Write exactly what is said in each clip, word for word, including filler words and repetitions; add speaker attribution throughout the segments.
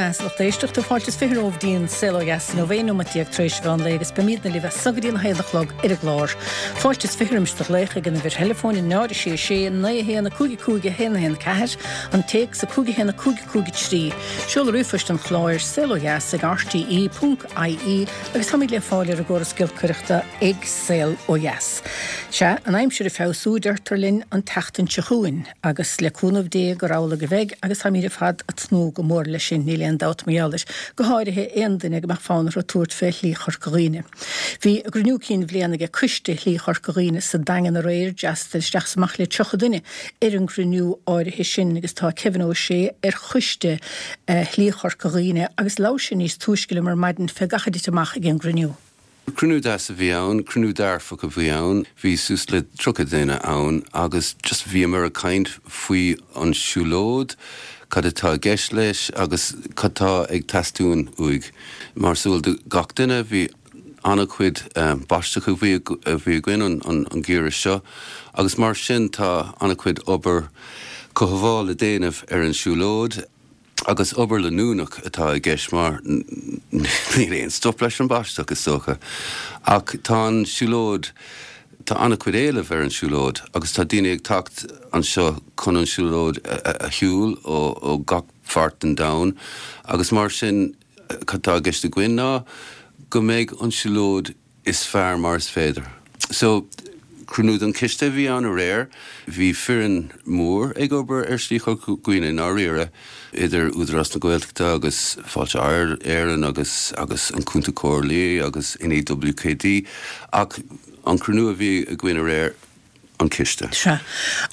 Speaker 1: bheatha a lucht éisteachta fáilte is fiche romhaibh go dtí an Saol Ó Dheas inniu aon nóiméad déag tar éis mheán lae agus beimidne libh as so go dtí an haon a chlog ar an gclár. Fáilte is fiche roimis do ghlaoch ag an uimhir theileafóin náid a sé sé naoi a haon a cúig a cúig a haon a haon ceathair, an téacs a cúig a haon a cúig a cúig a trí. Seol ríomhphost an chláir saol ó dheas ag rte ponc ie agus táimid le fáil ar an gcóras giolcaireachta ag Saol Ó Dheas. Sea, an aimsir ag feabhsú deirtear linn an tseachtain seo chugainn agus le cúnamh Dé gur amhlaidh a bheidh agus táimid ar fad ag tnúth go mór leis sin, níl aon dabht mar gheall air, go háirithe aon duine go mbeadh fonn orthu tabhairt fé Shlí Chorca Dhuibhne. Bhí a gcruinniú cinn bhliana ag Coiste Shlí Chorca Dhuibhne sa Daingean aréir, d'fhreastail isteach is amach le tríocha duine ar an gcruinniú áirithe sin agus tá Kevin Ó Sé ar choiste Shlí Chorca Dhuibhne agus labhair sé níos túisce liom ar maidin fé gach a thit amach ag an gcruinniú.
Speaker 2: Cruinniú deas a bhí ann, cruinniú dearfach a bhí ann, bhí suas le tríocha duine ann agus just bhíomar ag caint faoi an siúlóid, cad atá i gceist leis agus cad tá ag teastáil uaidh. Mar is eol do gach duine bhí an-chuid um, báisteach a bhí a bhí againn an, an, an geimhreadh seo, agus mar sin tá an-chuid obair cothabhála le déanamh ar an siúlóid agus obair leanúnach atá i gceist mar níl aon stop leis an báisteach is dócha. Ach tá an siúlóid tá an-chuid éilimh ar an siúlóid agus tá daoine ag teacht anseo chun an siúlóid a, a shiúl ó, ó gach páirt den domhan agus mar sin cad tá i gceist againn ná go mbeidh an siúlóid is fearr mar is féidir. So cruinniú den chiste bhí ann aréir, bhí foireann mór ag obair ar Shlí Chorca Dhuibhne dáiríre idir Údarás na Gaeltachta agus Fáilte Éireann agus agus an Cúnta Comhairle agus NEWKD ach an cruinniú a bhí againn aréir an ciste.
Speaker 1: Sea.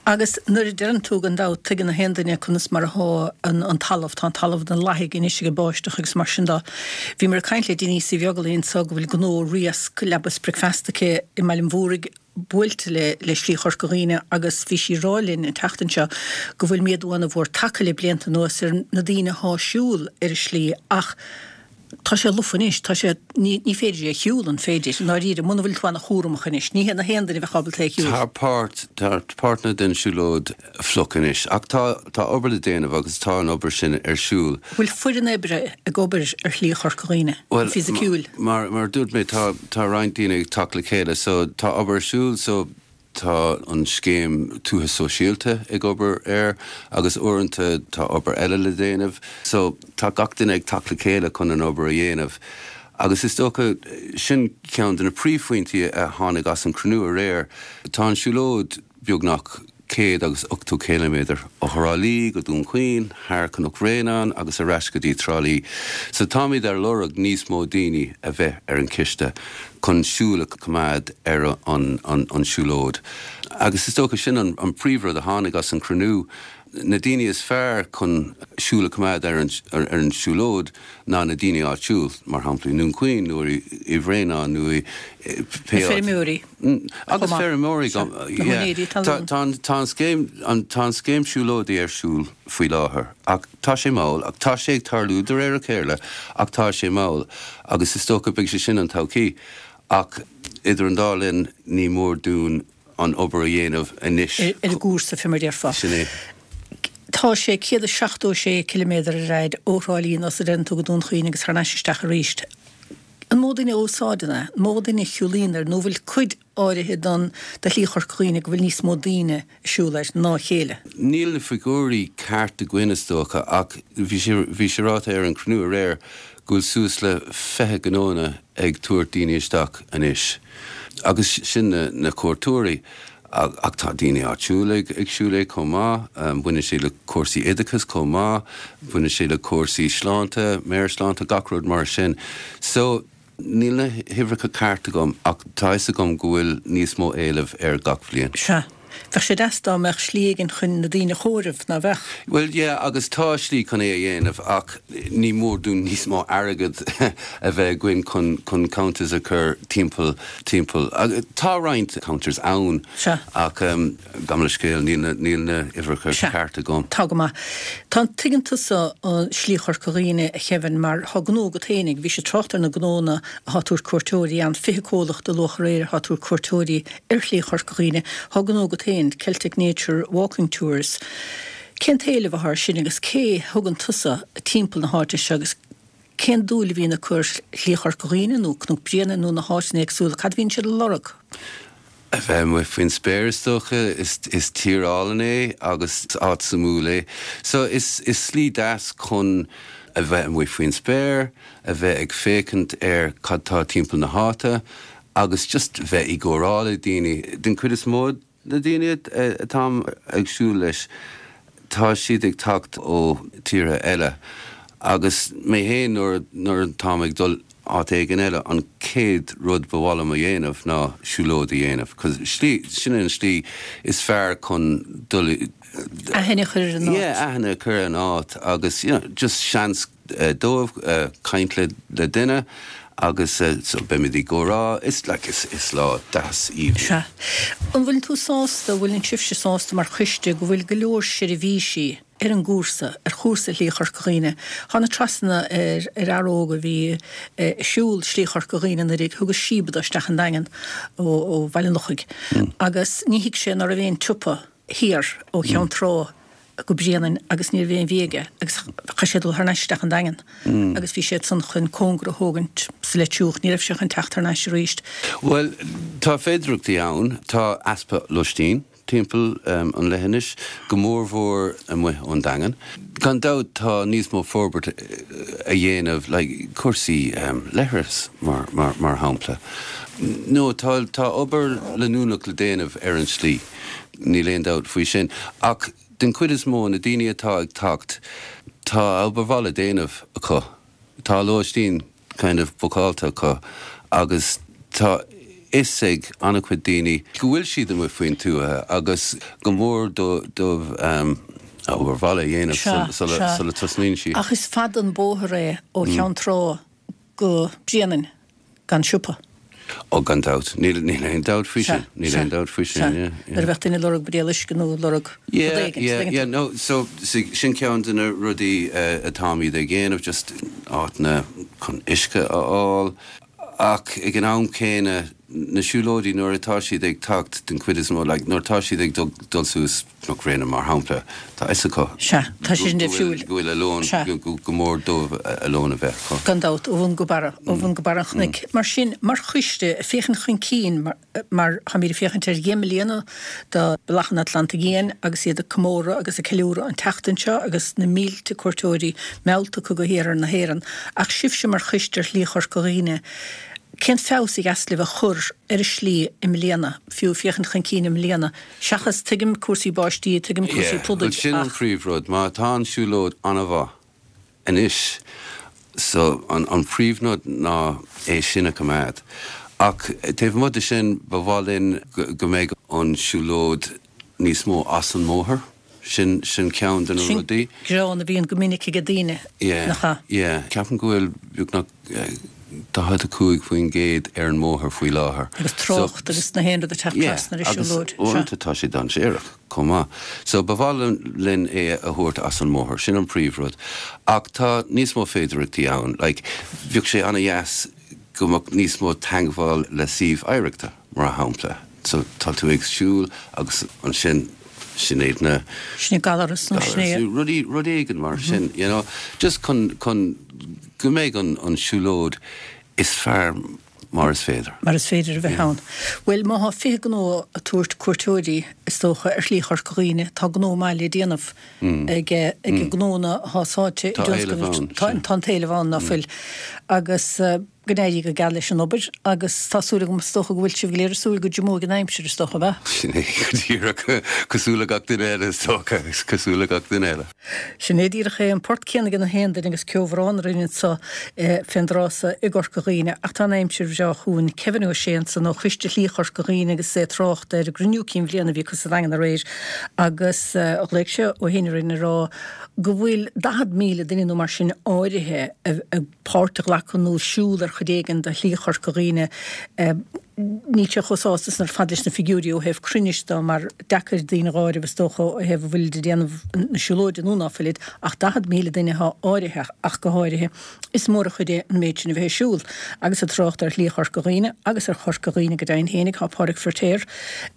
Speaker 1: Agus nuair a deireann tú gan dabht tuigeann aon duine conas mar atá an, an talamh tá an talamh den lathaigh anois ag an báisteach agus mar sin de. Bhíomar ag caint le Denise Uí Bheaglaoich anseo go bhfuil gnó riasc leaba is bricfeasta aici i mBaile an Mhúraigh buailte le le Slí Chorca Dhuibhne agus bhí sí ag rá linn an tseachtain seo go bhfuil méadú an-mhór tagtha le blianta anuas ar na daoine atá ag siúl ar an slí ach tá sé lofa anois tá sé ní ní féidir é a shiúl an féidir dáiríre muna bhfuil tú an-chúramach anois ní hé na haon duine bheith ábalta é a shiúl.
Speaker 2: Tá páirt tá páirteanna den siúlóid fliuch anois ach tá tá obair le déanamh agus tá an obair sin ar siúl.
Speaker 1: Bhfuil foireann oibre ag obair ar Shlí Chorca Dhuibhne
Speaker 2: Well
Speaker 1: fisiciúil.
Speaker 2: mar mar dúirt mé tá tá roinnt daoine ag teacht le chéile so tá obair ar siúl so tá an scéim tuaithe sóisialta ag obair air agus uaireanta tá obair eile le déanamh so tá gach duine ag teacht le chéile chun an obair a dhéanamh. Agus is dócha sin ceann de na príomhphointí a tháinig as an cruinniú aréir, tá an siúlóid beagnach céad agus ochtó ciliméadar ó Thrá Lí go Dún Chaoin, thar Cnoc Bhréanainn agus ar ais go dtí Trá Lí. So táimid ar lorg níos mó daoine a bheith ar an chiste chun súil a choimeád ar an, an, an siúlóid. Agus is dócha sin an, an príomhrud a tháinig as an cruinniú, na daoine is fearr chun súil a choimeád ar an, ar, ar an siúlóid ná na daoine áitiúil, mar shampla i nDún Chaoin nó i Bhréanainn nó i
Speaker 1: Na feirmeoirí.
Speaker 2: Agus feirmeoirí Tá an scéim tá an scéim siúlóidí ar siúl faoi láthair ach tá sé mall ach tá sé ag tarlú de réir a chéile ach tá sé mall agus is dócha beidh sé sin an todhchaí ach idir an dá linn ní mór dúinn an obair a dhéanamh anois.
Speaker 1: Ar an gcúrsa fé mar a déarfá.
Speaker 2: Sin é.
Speaker 1: Tá sé céad is seachtó sé ciliméadar ar fhad ó Thrá Lí anuas a deireann tú go Dún Chaoin agus thar n-ais isteach arís. An mó duine a úsáideann é, an mó duine a shiúlaíonn air nó bhfuil cuid áirithe don de Shlí Chorca Dhuibhne go bhfuil níos mó daoine ag siúl air ná a chéile.
Speaker 2: Níl na figiúirí ceart againn is dócha ach bhí sé bhí sé ráite ar an cruinniú aréir go bhfuil suas le fiche gnónna ag tabhairt daoine isteach anois. Agus sin na, na cuairteoirí ach tá daoine áitiúil ag ag siúl é chomh maith, um, baineann sé le cúrsaí oideachais chomh maith, baineann sé le cúrsaí sláinte, meabhairshláinte gach rud mar sin. So níl na huimhreacha ceart agam ach tá fhios agam go bhfuil níos mó éilimh ar gach bhliain.
Speaker 1: Sea. Bheadh sé deas dá mbeadh slí éigin chun na daoine a chomhaireamh ná bheadh.
Speaker 2: Well yeah, agus tá slí chun é a dhéanamh ach ní mór dúinn níos mó airgead a bheith againn chun chun counters a chur timpeall timpeall. Tá roinnt counters ann
Speaker 1: Sea.
Speaker 2: ach um, gabh mo leithscéal níl na níl na huimhreacha ceart agam.
Speaker 1: Tá go maith. Tá tuigeann tusa an Slí Chorca Dhuibhne a Kevin mar tá gnó agat fhéinig, bhí sé trácht ar na gnónna atá ag tabhairt cuairteoirí ann fiche comhlacht a luadh aréir atá ag tabhairt cuairteoirí ar Shlí Chorca Dhuibhne, Tá gnó agat féin Celtic Nature Walking Tours. Cén t-éileamh atá air sin agus cé thugann tusa timpeall na háite seo agus cén dúil a bhíonn acu ar Shlí Chorca Dhuibhne nó Cnoc Bréanainn nó na háiteanna éagsúla, cad a bhíonn siad a lorg?
Speaker 2: A bheith amuigh faoin spéir is dócha, is is tír álainn é agus áit suimiúil é. So is is slí deas chun a bheith amuigh faoin spéir, a bheith ag féachaint ar cad tá timpeall na háite agus just bheith i gcomhrá le daoine. Den chuid is mó na daoine atáim ag siúl leis, tá siad ag teacht ó tíortha eile agus mé féin nuair nuair atáim ag dul áit éigin eile an chéad rud ba mhaith liom a dhéanamh ná siúlóid a dhéanamh cos slí sin an slí is fearr chun dul
Speaker 1: Aithne a chur ar an áit.
Speaker 2: Yeah, aithne a chur ar an áit agus you know, just seans uh, dóibh uh, caint le, le duine agus uh, so beimid i gcomhrá is like, is, is lá deas aoibhinn.
Speaker 1: Sea. An bhfuil tú sásta, bhfuil an sibhse sásta mar choiste go bhfuil go leor seirbhísí ar an gcúrsa, ar chúrsa Shlí Chorca Dhuibhne. Thána trasna ar ar fhear óg a bhí ag siúl Slí Chorca Dhuibhne anuraidh, thugas síob dó isteach an Daingean ó, ó Bhaile an Lochaigh. Mm. Agus ní thuig sé ná raibh aon tsiopa thiar ó Cheann Trá go Bréanainn agus ní raibh aon bhia aige agus chaith sé dul thar n-ais isteach an Daingean mm. agus bhí sé san chun cóngar a thógaint sa Leitriúch, ní raibh sé chun teacht thar n-ais arís.
Speaker 2: Well, tá féidearthachtaí ann, tá easpa lóistín timpeall um, an leithinis, go mórmhór amuigh ón Daingean. Gan dabht tá níos mó forbairt a dhéanamh le like, cúrsaí um, leithreas mar, mar, mar shampla. No, tá, tá obair leanúnach le déanamh ar an slí, níl aon dabht faoi sin. Ach den chuid is mó na daoine atá ag teacht, tá obair bhaile déanta acu. Tá lóistín kind of bookáilte acu agus tá fhios ag an-chuid daoine go bhfuil siad amuigh faoin tuath agus go mór dóibh um, obair bhaile a dhéanamh sula tosnaíonn siad.
Speaker 1: Ach is fada an bóthar é ó Cheann Trá go Bréanainn gan siopa.
Speaker 2: Ó gan dabht, níl níl aon dabht faoi sin, níl aon dabht faoi sin.
Speaker 1: Nuair a bheadh duine ag lorg buidéal uisce nó ag lorg rud éigin.
Speaker 2: Yeah, yeah, no, so sin ceann de na rudaí atáimid ag déanamh, just áiteanna chun uisce a fháil. Ach ag an am céanna na siúlóidí nuair atá siad ag teacht den chuid is mó, like, nuair atá siad ag dul suas Cnoc Bhréanainn mar shampla, tá fhios acu.
Speaker 1: Sea, tá siad in siúil.
Speaker 2: Go bhfuil a lón, go mór dóibh a lón a bheith acu.
Speaker 1: Gan dabht, ó bhun go barra, ó bhun go barra an chnoic. Mar sin, mar choiste, ag féachaint chun cinn, mar táimid ag féachaint ar dheich mbliana de Bhealach an Atlantaigh Fhiáin agus iad ag comóradh agus ag ceiliúradh an tseachtain seo agus na mílte cuairteoirí meallta acu go hiarthar na hÉireann. Ach sibhse mar choiste ar Shlí Chorca Dhuibhne, Cén feabhas a dheas libh a chur ar an slí i mbliana, fiú féachaint chun cinn i mbliana, seachas, tuigim cúrsaí báistí, tuigim cúrsaí
Speaker 2: Yeah,
Speaker 1: pludaigh,
Speaker 2: sin an
Speaker 1: ach.
Speaker 2: phríomhrud. Má tá an siúlóid an-mhaith anois, so an, an príomhrud ná é sin a choimeád. Ach taobh amuigh de sin, ba mhaith linn go, go mbeidh an siúlóid níos mó as an mbóthar. Sin, sin ceann de na
Speaker 1: Sin
Speaker 2: rudaí.
Speaker 1: gearán a bhíonn go minic ag daoine,
Speaker 2: Yeah,
Speaker 1: nach ea?
Speaker 2: yeah. Ceapaim go bhfuil beagnach daichead a cúig faoin gcéad ar an mbóthar faoi láthair.
Speaker 1: Agus trácht agus na haon rud ag teacht
Speaker 2: Yeah,
Speaker 1: trasna ar an
Speaker 2: agus
Speaker 1: siúlóid.
Speaker 2: uaireanta tá sé dainséarach chomh maith. So ba mhaith linn é a thabhairt as an mbóthar, sin an príomhrud. Ach tá níos mó féidearthachtaí ann. Like, bheadh sé an-dheas go mbeadh níos mó teagmháil le suíomh oidhreachta, mar shampla. So tá tú ag siúl agus ansin sin iad na
Speaker 1: Sin é Gallarus nó sin é.
Speaker 2: Rudaí rud éigin mar sin, you know, just chun chun go mbeidh an an siúlóid is fearr mar is féidir.
Speaker 1: Mar is féidir a bheith ann. Bhuel, má thá fiche gnó ag tabhairt cuairteoirí, is dócha, ar Shlí Chorca Dhuibhne, tá gnó maith le déanamh ag ag gnónna atá sáite i
Speaker 2: Tá éileamh
Speaker 1: dtionscnamh.
Speaker 2: ann,
Speaker 1: Tá
Speaker 2: sin.
Speaker 1: tá an t-éileamh ann, ná fuil. Agus go n-éirí go geal leis an obair agus tá súil agam, is dócha go bhfuil sibh go léir ag súil go dtriomóidh an aimsir, is dócha, ab ea?
Speaker 2: Sin é go díreach, cosúil le gach duine eile, is dócha, cosúil le gach duine eile.
Speaker 1: Sin é díreach é, an port céanna ag na haon duine agus ceobhrán a rinne anso fén dtráth so i gCorca Dhuibhne ach tá an aimsir bhreá chugainn. Kevin Ó Sé ansan ó Choiste Shlí Chorca Dhuibhne agus é ag trácht ar an gcruinniú cinn bhliana a bhí acu sa Daingean aréir agus ghlaoigh sé ó shin orainn ag rá go bhfuil daichead míle duine nó mar sin áirithe ag páirt a ghlacadh nó siúl ar chuid éigin de Shlí Chorca Dhuibhne. Níl sé chomh sásta san ar fad leis na figiúirí ó thaobh cruinnis de mar deacair daoine a dh'áireamh is dócha ó thaobh a bhfuilid ag déanamh na siúlóide nó ná fuilid ach daichead míle duine atá áirithe ach go háirithe. Is mór an chuid é an méid sin a bheith ag siúl. Agus ag trácht ar Shlí Chorca Dhuibhne agus ar Chorca Dhuibhne go deimhin fhéinig tá Pádraig Feiritéar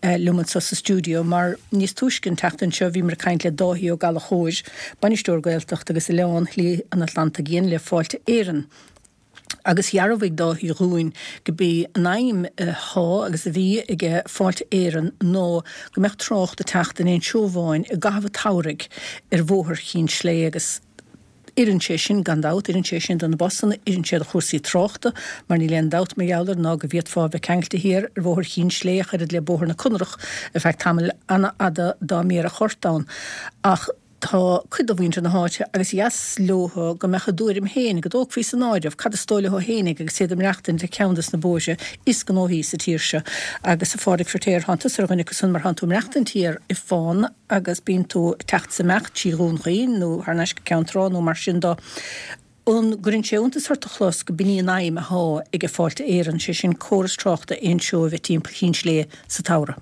Speaker 1: liom anseo sa stiúideo mar níos túisce an tseachtain seo bhíomar ag caint le Dáithí Ó Gallchóir, Bainisteoir Gaeltacht agus Oileán Shlí an Atlantaigh Fhiáin le Fáilte Éireann. Agus dhearbhaigh Dáithí dhúinn go b'í an aidhm athá agus a bhí aige Fáilte Éireann ná go mbeadh trácht ag teacht in aon seó amháin i gcaitheamh an tsamhraidh ar bhóthar Chinn Slé agus oireann sé sin gan dabht, oireann sé sin do na busanna, oireann sé do chúrsaí tráchta mar níl aon dabht mar gheall air ná go bhféadfá a bheith ceangailte thiar ar bhóthar Chinn Slé ach oiread le bóthar na Conrach ar feadh tamaill an-fhada dá mbéarfadh ort ann. Ach tá cuid de mhuintir na háite agus dheas leothu go mbeadh a dtuairim féin, go dtógfaí san áireamh cad is dóigh leo féinig agus iad ag maireachtaint ar cheann des na bóithre is gnóthaí sa tír seo. Agus a Phádraig Feiritéar, thánn tusa ar dhuine acu san mar thánn tú ag maireachtaint thiar i bhFán agus bíonn tú ag teacht is ag imeacht trí Dhún Chaoin nó thar n-ais go Ceann Trá nó mar sin do. An gcuireann sé iontas ort a chlos go b'in í an aidhm athá aige Fáilte Éireann, sé sin córas tráchta aon seó a bheith timpeall Chinn Slé sa tsamhradh?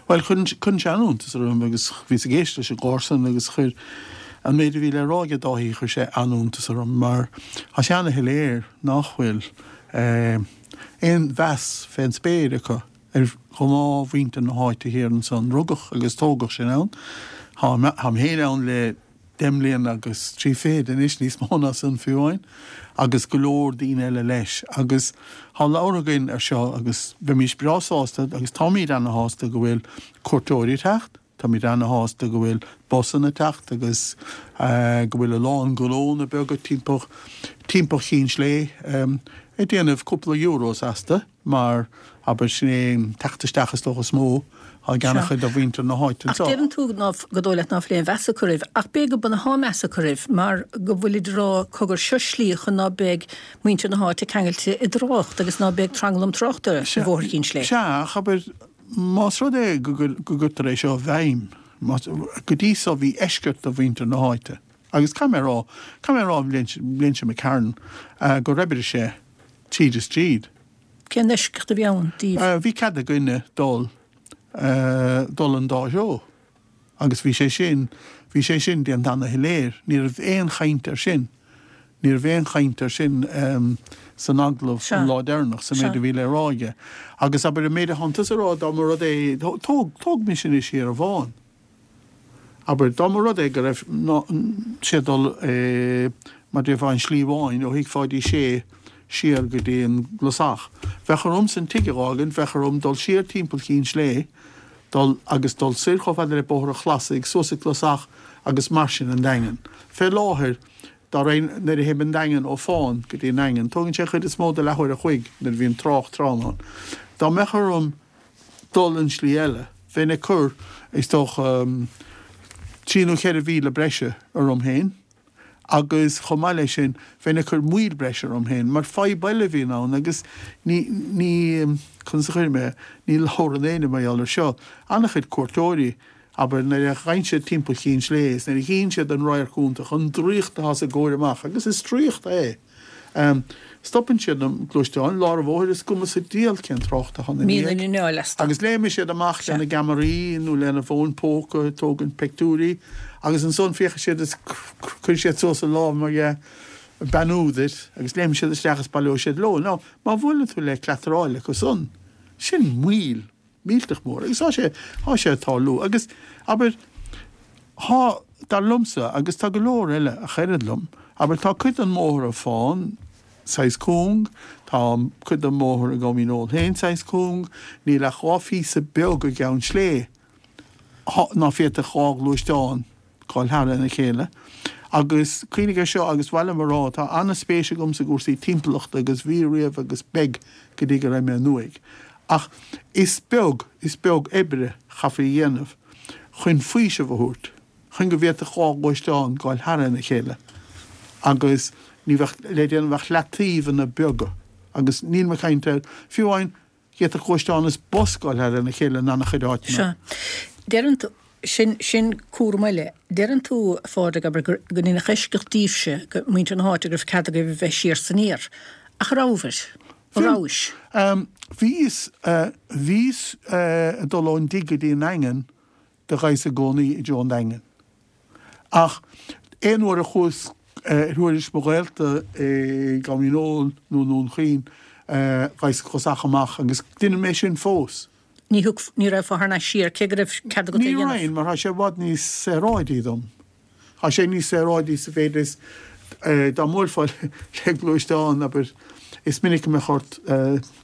Speaker 3: Bhuel, cuireann sé an-iontas orm agus bhíos ag éisteacht leis an gclár san agus chuir an méid a bhí le rá aige Dáithí, chuir sé an-iontas orm mar tá sé ana-shoiléir nach bhfuil aon mheas fén spéir acu ar ghnáthmhuintir na háite thiar ansan. Rugadh agus tógadh sinn ann. Táim féin ann le deich mbliana agus trí fichid anois, níos mó ná san fiú amháin, agus go leor daoine eile leis. Agus tá labhartha againn ar seo agus bheimís breá sásta agus táimíd ana-shásta go bhfuil cuairteoirí ag teacht, táimíd ana-shásta go bhfuil busanna ag teacht agus go bhfuil a lán gnónna beaga timpeall timpeall Chinn Slé ag déanamh cúpla euros astu mar, abair, sin é an teacht isteach is dócha is mó ag an-chuid de mhuintir na háite
Speaker 1: anseo. Ach deireann tú ná, gur dóigh leat ná fuil aon mheas acu oraibh, ach b'fhéidir go b'ionann athá meas acu oraibh mar go bhfuilid ag rá cogar seo slí chun ná beidh muintir na háite ceangailte i dtrácht agus ná beidh tranglam tráchta ar Bhóthar Chinn Slé.
Speaker 3: Sea, ach abair, más rud é go gcuirtear é seo i bhfeidhm, go dtí so bhí eisceacht do mhuintir na háite agus caithfidh mé a rá, caithfidh mé a rá an bhliain seo imigh tharainn gur oibrigh sé tríd is tríd.
Speaker 1: Cén eisceacht a bhí ann
Speaker 3: daoibh? Bhí cead againne dul dul an dá threo agus bhí sé sin, bhí sé sin déanta ana-shoiléir. Ní raibh aon chaint air sin, ní raibh aon chaint air sin san agallamh an lá deireanach, sa méid a bhí le rá aige. Agus abair an méid a thánn tusa a rá, dá mba rud é, tóg, tóg mise anois thiar i bhFán. Abair, dá mba rud é go raibh sé ag dul mar déarfá an tSlí Bháin ó Thigh Pháidí Sé siar go dtí an gClasach, bheadh ormsa an tigh a dh'fhágaint, bheadh orm dul siar timpeall Chinn Slé, dul agus dul soir chomh fada le Bóthar an Chlasaigh, suas an Clasach agus mar sin an Daingean. Fé láthair, dá raghainn, nuair a théim an Daingean ó Fán go dtí an Daingean, tógann sé an chuid is mó de leathuair a chloig nuair a bhíonn trácht trom ann. Dá mbeadh orm dul an slí eile, bheinn ag cur, is dócha, trí nó ceithre mhíle breise orm féin agus chomh maith leis sin, bheinn ag cur moill breise orm féin, mar fadhb eile a bhíonn ann agus ní, ní, conas a chuirfidh mé é, ní labhrann éinne mar gheall air seo, an-chuid cuairteoirí, abair, nuair a ghabhann siad timpeall Chinn Slé is nuair a chíonn siad an radharc iontach, an draíocht atá sa gcomhair amach, agus is draíocht é. Stopann siad na gluaisteáin i lár an bhóthair is cuma sa diabhal cén trácht atá ina
Speaker 1: Mín an anáil astu.
Speaker 3: Agus léimfidh siad amach lena gceamaraí nó lena bhfóin póca ag tógaint peictiúirí agus ansan féachfaidh siad is cuirfidh siad suas a lámh mar dhea beannú duit agus léimfidh siad isteach is baileoidh siad leo. Now má bhuaileann tú le cleataráil acu san, sin moill. millteach mór agus tá sé, tá sé ag tarlú agus, abair, tá, dar liomsa, agus tá go leor eile a chreideann liom, abair, tá cuid den mbóthar i Fán saghas cúng, tá cuid den mbóthar i gCom Dhíneol féin saghas cúng, níl ach dhá phíosa beag i gCeann Slé ná féadfadh dhá ghluaisteán gabháil thar lena chéile. Agus cuimhnigh air seo, agus ba mhaith liom a rá, tá an-spéis agamsa i gcúrsaí timpeallachta agus bhí riamh agus beidh go dtí go raghaidh mé in uaigh. Ach is beag, is beag oibre chaithfí a dhéanamh chun faoiseamh a thabhairt, chun go bhféadfadh dhá ghluaisteán gabháil thar lena chéile agus ní bheadh le déanamh ach leataobhanna beaga. Agus níl mé ag caint ar, fiú amháin, d'fhéadfadh gluaisteán is bus gabháil thar lena chéile in an-chuid áiteanna.
Speaker 1: Sea. Deireann tú, sin, sin cúram eile. Deireann tú, a Phádraig, abair, gur, go ndéanfadh eisceacht daoibhse, go, muintir na háite, go raibh cead agaibh a bheith siar 's aniar. Ach rabhais? Rabhais?
Speaker 3: Bhíos, bhíos ag dul ón dtigh go dtí an nDaingean do ghabhas i gcónaí i dtreo an Daingin. Ach aon uair a chuas ar thuairisc mo ghaolta i gCom Dhíneol nó i nDún Chaoin, ghabhas chuas amach agus deinim é sin fós.
Speaker 1: Ní thug, ní raghfá thar n-ais siar, cé go raibh cead agat é a
Speaker 3: Ní
Speaker 1: dhéanamh.
Speaker 3: raghainn, mar tá sé i bhfad níos saoráidí dom. Tá sé níos saoráidí sa mhéid is dá mbuailfeá le gluaisteán, abair, is minic a mbeadh ort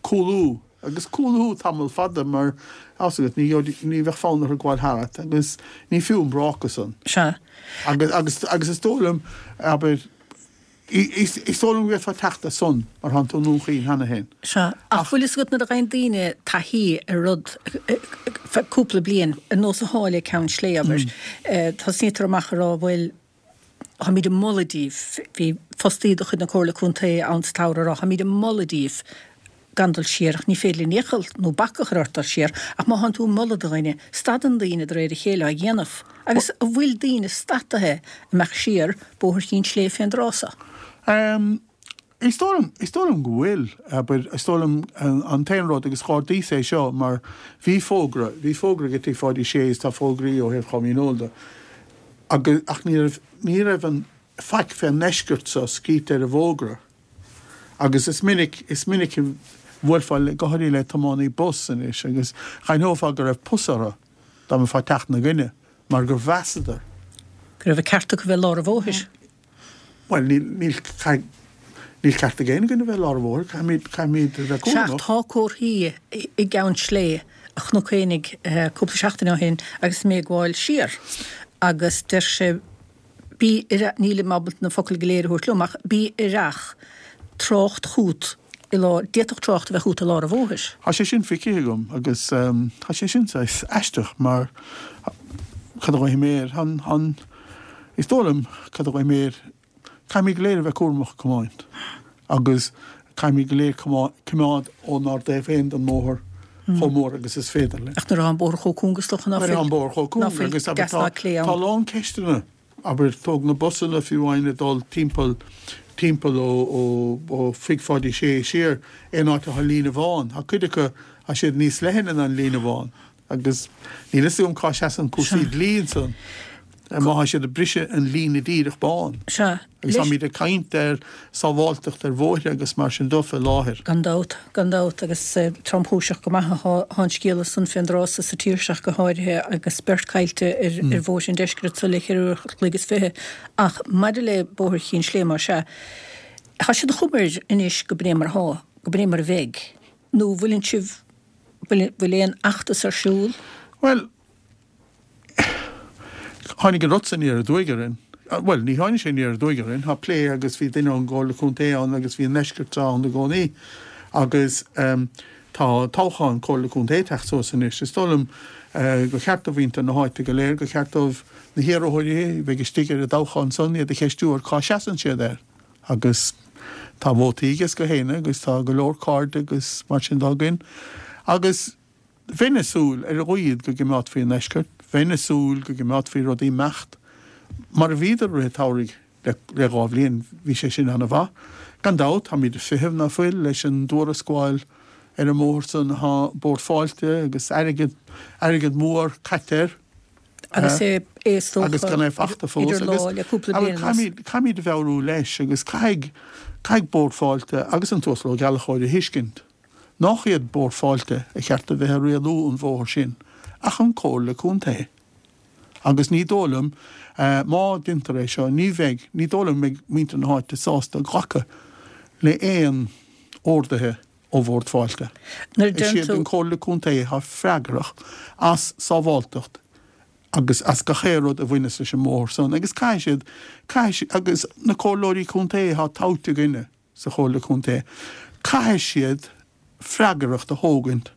Speaker 3: cúlú, agus cúlú tamall fada mar, tá 'fhios agat, ní gheobhaidh, ní bheadh fonn orthu gabháil tharat agus ní fiú an bráca san.
Speaker 1: Sea.
Speaker 3: Agus, agus, agus is dóigh liom, abair, Is dóigh liom go bhféadfá teacht as san mar thánn tú i nDún Chaoin cheana féin.
Speaker 1: Sea, ach bhfuil fhios agat nuair a ghaibheann daoine taithí ar rud feadh cúpla bliain, ar nós atá le Ceann Sléibhe, abair, tosnaítear amach ag rá bhuel, táimid ag moladh daoibh, bhí fostaí de chuid na Comhairle Contae ann sa tsamhradh ag rá, táimid ag moladh daoibh gan dul siar ach ní féidir linn iachall nó bac a chur ort dul siar ach má thánn tú ag moladh do dhuine, stadann daoine de réir a chéile á dhéanamh. Agus an bhfuil daoine stadtaithe imeacht siar Bóthar Chinn Sléibhe fén dtráth so?
Speaker 3: Ehm, is dóigh liom, is dóigh liom go bhfuil, abair, is dóigh liom an t-aon rud agus dh'ardaíos é seo mar bhí fógra, bhí fógra ag Tigh Pháidí Sé is tá fógraí ó thaobh Chom Dhíneol de agus, ach ní raibh, ní raibh an faic fén ndeisceart so scríte ar an bhfógra. Agus is minic, is minic a bhuailfeá le, go háirithe le tiománaí bus anois agus dh'aithneofá go raibh pus orthu dá mbeifeá ag teacht ina gcoinne mar gur mheasadar.
Speaker 1: Go raibh an ceart acu bheith i lár an bhóthair.
Speaker 3: Bhuel, níl, níl, caithfidh, níl ceart ag aon dhuine bheith i lár an bhóthair, caithfimid, caithfimid a bheith
Speaker 1: Sea,
Speaker 3: cúramach.
Speaker 1: tá comharthaí i gCeann Sléibhe a chonac féinig cúpla seachtain ó shin agus mé ag gabháil siar agus deir sé, Bí aireach, nílim ábalta na focail go léir a thabhairt liom, ach bí aireach, trácht chút i lár, d'fhéadfadh trácht a bheith chút i lár an bhóthair.
Speaker 3: Tá sé sin feicthe agam agus tá sé sin saghas aisteach mar cad a ghlaofaidh mé air, an, an, is dóigh liom, cad a ghlaofaidh mé air, caithfimid go léir a bheith cúramach ag tiomáint agus caithfimid go léir coimeád ónár dtaobh féin den mbóthar chomh mór agus is féidir linn.
Speaker 1: Ach nuair atá an bóthar chomh cúng is dócha ná
Speaker 3: Nuair atá
Speaker 1: fuil,
Speaker 3: an bóthar chomh
Speaker 1: ná
Speaker 3: cúng
Speaker 1: fuil
Speaker 3: agus
Speaker 1: deas
Speaker 3: tá
Speaker 1: ná clé
Speaker 3: tá
Speaker 1: ann.
Speaker 3: a lán ceisteanna. Abair, tóg na busanna fiú amháin ag dul timpeall, timpeall ó, ó, ó Thigh Pháidí Sé siar, aon áit atá líne bhán. Tá cuid acu, tá siad níos leithne ná an líne bhán agus níl fhios agam cá seasann cúrsaí dlí ansan, má tá siad ag briseadh an líne díreach bán.
Speaker 1: Sea.
Speaker 3: Agus táimid ag caint ar sábháilteacht ar bhóithre agus mar sin de fé láthair.
Speaker 1: Gan dabht, gan dabht, agus tromchúiseach go maith atá an scéal san fén dtráth so sa tír seo ach go háirithe agus beirt caillte ar ar bhóithre an deiscirt so le ceithre uair a chloig is fiche. Ach maidir le Bóthar Chinn Sléibhe, más ea, tá sé de chuma air anois go b'in é mar atá, go b'in é mar a bheidh. Nó bhfuileann sibh, bhfuil bhfuil aon fheachtas ar siúl?
Speaker 3: Bhuel, Tháinig an rud san aniar aduaidh orainn. Bhuel, ní tháinig sé aniar aduaidh orainn, tá plé agus bhí duine ón gComhairle Contae ann agus bhí an ndeisceart ann i gcónaí agus tá toghchán Comhairle Contae ag teacht suas anois. Is dóigh liom gur cheart do mhuintir na háite go léir, gur cheart dóibh na hiarrthóirí a bheidh istigh ar an dtoghchán san iad a cheistiú ar cá seasann siad air agus tá vótaí ages gach éinne agus tá go leor cairde agus mar sin de againn agus Bheinn ag súil, ar a laghad, go gcimeádfaí an ndeisceart. Bheinn ag súil go gcimeádfaí rudaí imeacht mar a bhíodar i rith an tsamhraidh le dhá bhliain. Bhí sé sin ana-mhaith. Gan dabht, táimid ag feitheamh, ná fuil, leis an dtuarascáil ar an mbóthar san. Tá Bord Fáilte agus airgead, airgead mór caite air.
Speaker 1: Agus é, é is dócha,
Speaker 3: Agus gan é fachta fós.
Speaker 1: idir
Speaker 3: Agus
Speaker 1: lá le cúpla
Speaker 3: abair,
Speaker 1: bliain anuas.
Speaker 3: caithfimid, caithfimid a mheabhrú leis agus caithfidh, caithfidh Bord Fáilte agus an tUasal Ó Gallchóir a thuiscint. Nach iad Bord Fáilte a cheart a bheith ag rialú an bhóthair sin, ach an Comhairle Contae. Agus ní dóigh liom, má deintear é seo, ní bheidh, ní dóigh liom go mbeidh muintir na háite sásta glacadh le aon orduithe ó Bhord Fáilte.
Speaker 1: Nuair a
Speaker 3: Is
Speaker 1: deireann
Speaker 3: iad
Speaker 1: tú.
Speaker 3: an Comhairle Contae atá freagrach as sábháltacht agus as gach aon rud a bhaineas leis an mbóthar san agus caithfidh siad, caithfidh siad, agus na Comhairleoirí Contae atá toghte againne, sa Chomhairle Contae, caithfidh siad freagracht a thógaint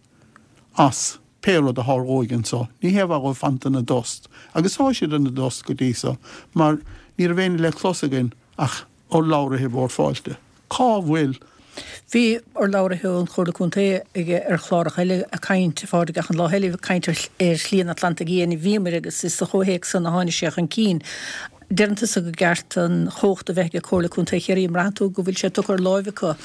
Speaker 3: as pé rud a tharlóidh anso. Ní hé a bheith dhóibh fanta ina dtost, agus tá siad ina dtost go dtí so, mar ní raibh éinne le clos againn ach urlabhraithe Bhord Fáilte. Cá bhfuil.
Speaker 1: Bhí urlabhraithe ón Chomhairle Contae ag ar chláracha eile ag caint, a Phádraig, ach an lá eile ag caint ar Shlí an Atlantaigh Fhiáin, bhíomar agus is sa chomhthéacs san a tháinig sé chun cinn. Deireann tusa gur ceart an chumhacht a bheith ag Comhairle Contae Chiarraí, an mbraitheann tú go bhfuil sé tugtha ar láimh acu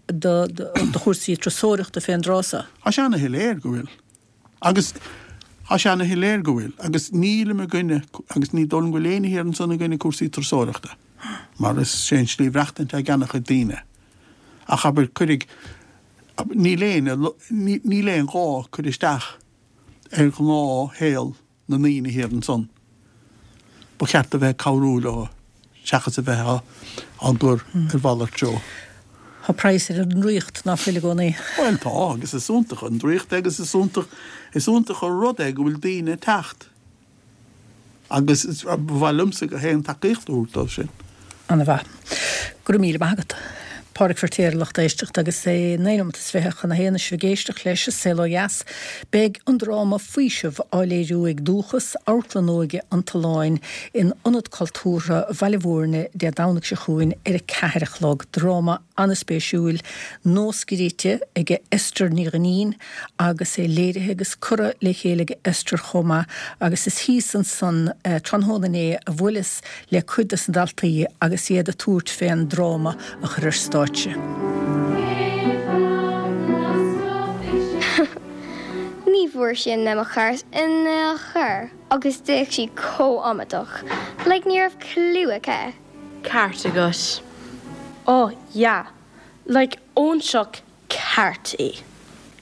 Speaker 1: do do chúrsaí turasóireachta fén dtráth so?
Speaker 3: Tá sé ana-shoiléir go bhfuil. Agus tá sé ana-shoiléir go bhfuil. Agus nílim i gcoinne, agus ní dóigh liom go bhfuil éinne thiar ansan i gcoinne cúrsaí turasóireachta, mar is sé an slí mhaireachtaint ag ana-chuid daoine. Ach abair, cuirfidh, níl aon, níl aon ghá cur isteach ar ghnáthshaol na ndaoine thiar ansan. Ba cheart a bheith ag cabhrú leo seachas a bheith á gcur ar mhalairt treo.
Speaker 1: Tá praghas ar an ndraíocht, ná fuil i gcónaí?
Speaker 3: Bhuel tá, agus is iontach an draíocht é agus is iontach, is iontach an rud é go bhfuil daoine ag teacht agus ba mhaith liomsa gach aon tacaíocht a thabhairt dóibh sin.
Speaker 1: Ana-mhaith. Go raibh míle maith agat. Pádraic Feirtéar, lucht éisteachta, agus é naoi nóiméad is fiche chun a haon is sibh ag éisteacht leis An Saol Ó Dheas. Beidh an dráma Faoiseamh á léiriú ag Dúchas, Amharclann Óige an tSuláin, in Ionad Cultúrtha Bhaile Bhúirne Dé Domhnaigh seo chugainn ar a ceathair a chlog. Dráma an-spéisiúil, nuascríte ag Esther Ní Dhuinnín agus é léirithe agus curtha le chéile ag Esther chomh maith agus is thíos ansan tráthnóna inné a bhuaileas le cuid des na daltaí agus iad ag tabhairt fén dráma a chur ar stáitse.
Speaker 4: Ní bhfuair sí an memo ceart in aon chor agus d'fhéach sí chomh amaideach, like ní raibh clue aici.
Speaker 5: Ceart agat. Oh yeah, like óinseach ceart í.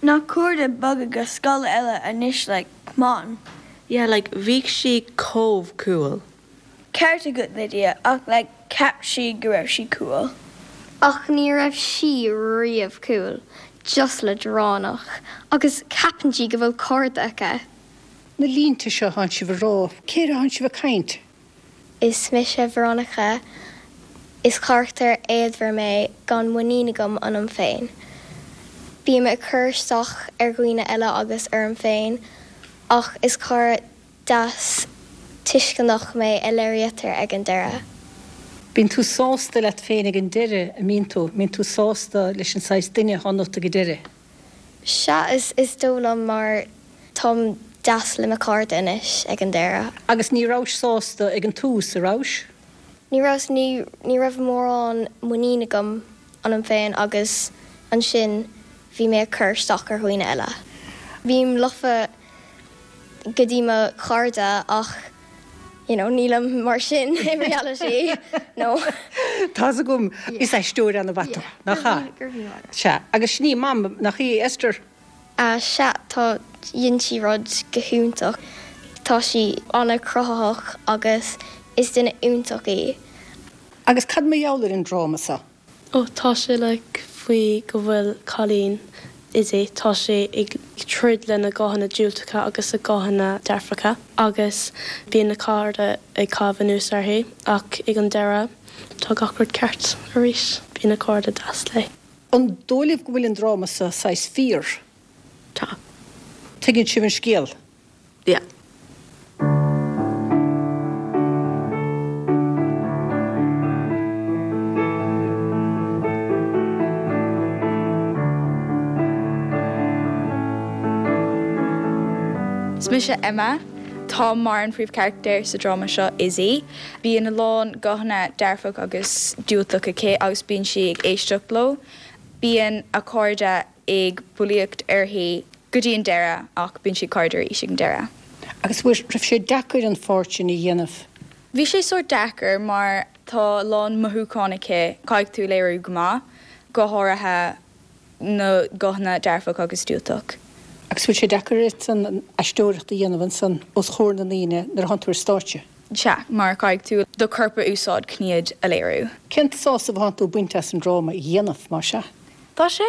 Speaker 6: Na cairde bogadh go scoil eile anois like come on.
Speaker 5: Yeah like bhí sí chomh cool.
Speaker 6: Ceart agat Lydia ach like cheap sí go raibh sí cool.
Speaker 4: Ach ní raibh sí riamh cool, just leadránach, agus ceapann sí go bhfuil cairde aici.
Speaker 1: Na línte seo atánn sibh a rá, cé air atánn sibh ag caint?
Speaker 4: Is mise Veronica. Is carachtar éadmhar mé gan muinín agam ionam féin. Bím ag cur isteach ar dhaoine eile agus orm féin, ach is cara deas tuisceanach mé a léirítear ag an deireadh.
Speaker 1: Bíonn tú sásta leat féin ag an deireadh, an mbíonn tú? Mbíonn tú sásta leis an saghas duine atá ionat ag an deireadh?
Speaker 4: Sea, is is dóigh liom mar táim deas le mo chairde anois ag an deireadh.
Speaker 1: Agus ní rabhais sásta ag an tús, a rabhais?
Speaker 4: Ní rabhas, ní ní raibh mórán muinín agam ionam féin agus ansin bhí mé ag cur isteach ar dhaoine eile. Bím lofa go dtí mo chairde ach you know, nílim mar sin in reality. No.
Speaker 1: Tá's agam is aisteoir an-mhaith tú, nach ea? Sea, agus sin í Mam, nach í, Esther?
Speaker 4: Uh, sea, tá dhein sí rud go hiontach. Tá sí an-chruthaitheach agus is duine iontach í.
Speaker 1: Agus cad mar gheall ar an dráma seo?
Speaker 5: Ó tá sé like faoi go bhfuil cailín Izzy, tá sé ag troid lena guthanna diúltacha agus a guthanna dearfacha agus bíonn na cairde ag caitheamh anuas uirthi ach ag an deireadh tá gach rud ceart arís, bíonn a cairde deas léi.
Speaker 1: An dóigh libh go bhfuil an dráma seo saghas fíor?
Speaker 5: Tá.
Speaker 1: Tuigeann sibh an scéal?
Speaker 5: Yeah.
Speaker 6: Is mise Emma. Tá mar an phríomhcharachtar sa dráma seo Izzy. Bíonn a lán guthanna dearfach agus diúltach aici agus bíonn sí ag éisteacht leo. Bíonn a cairde ag bulaíocht uirthi go dtí an deireadh ach bíonn sí cairde arís ag an deireadh.
Speaker 1: Agus raibh sé deacair an pháirt sin a dhéanamh?
Speaker 6: Bhí sé sórt deacair mar tá a lán mothúchán aici caithfidh tú léiriú go maith, go háirithe na guthanna dearfach agus diúltach.
Speaker 1: Agus bhfuil sé deacair duit an aisteoireacht a dhéanamh ansan os comhair na ndaoine nuair a thánn tú ar stáitse?
Speaker 6: Sea, mar caithfidh tú do chorp a úsáid chun iad a léiriú.
Speaker 1: Cén sásamh atánn tú ag baint as an dráma a dhéanamh, mar sea?
Speaker 6: Tá sé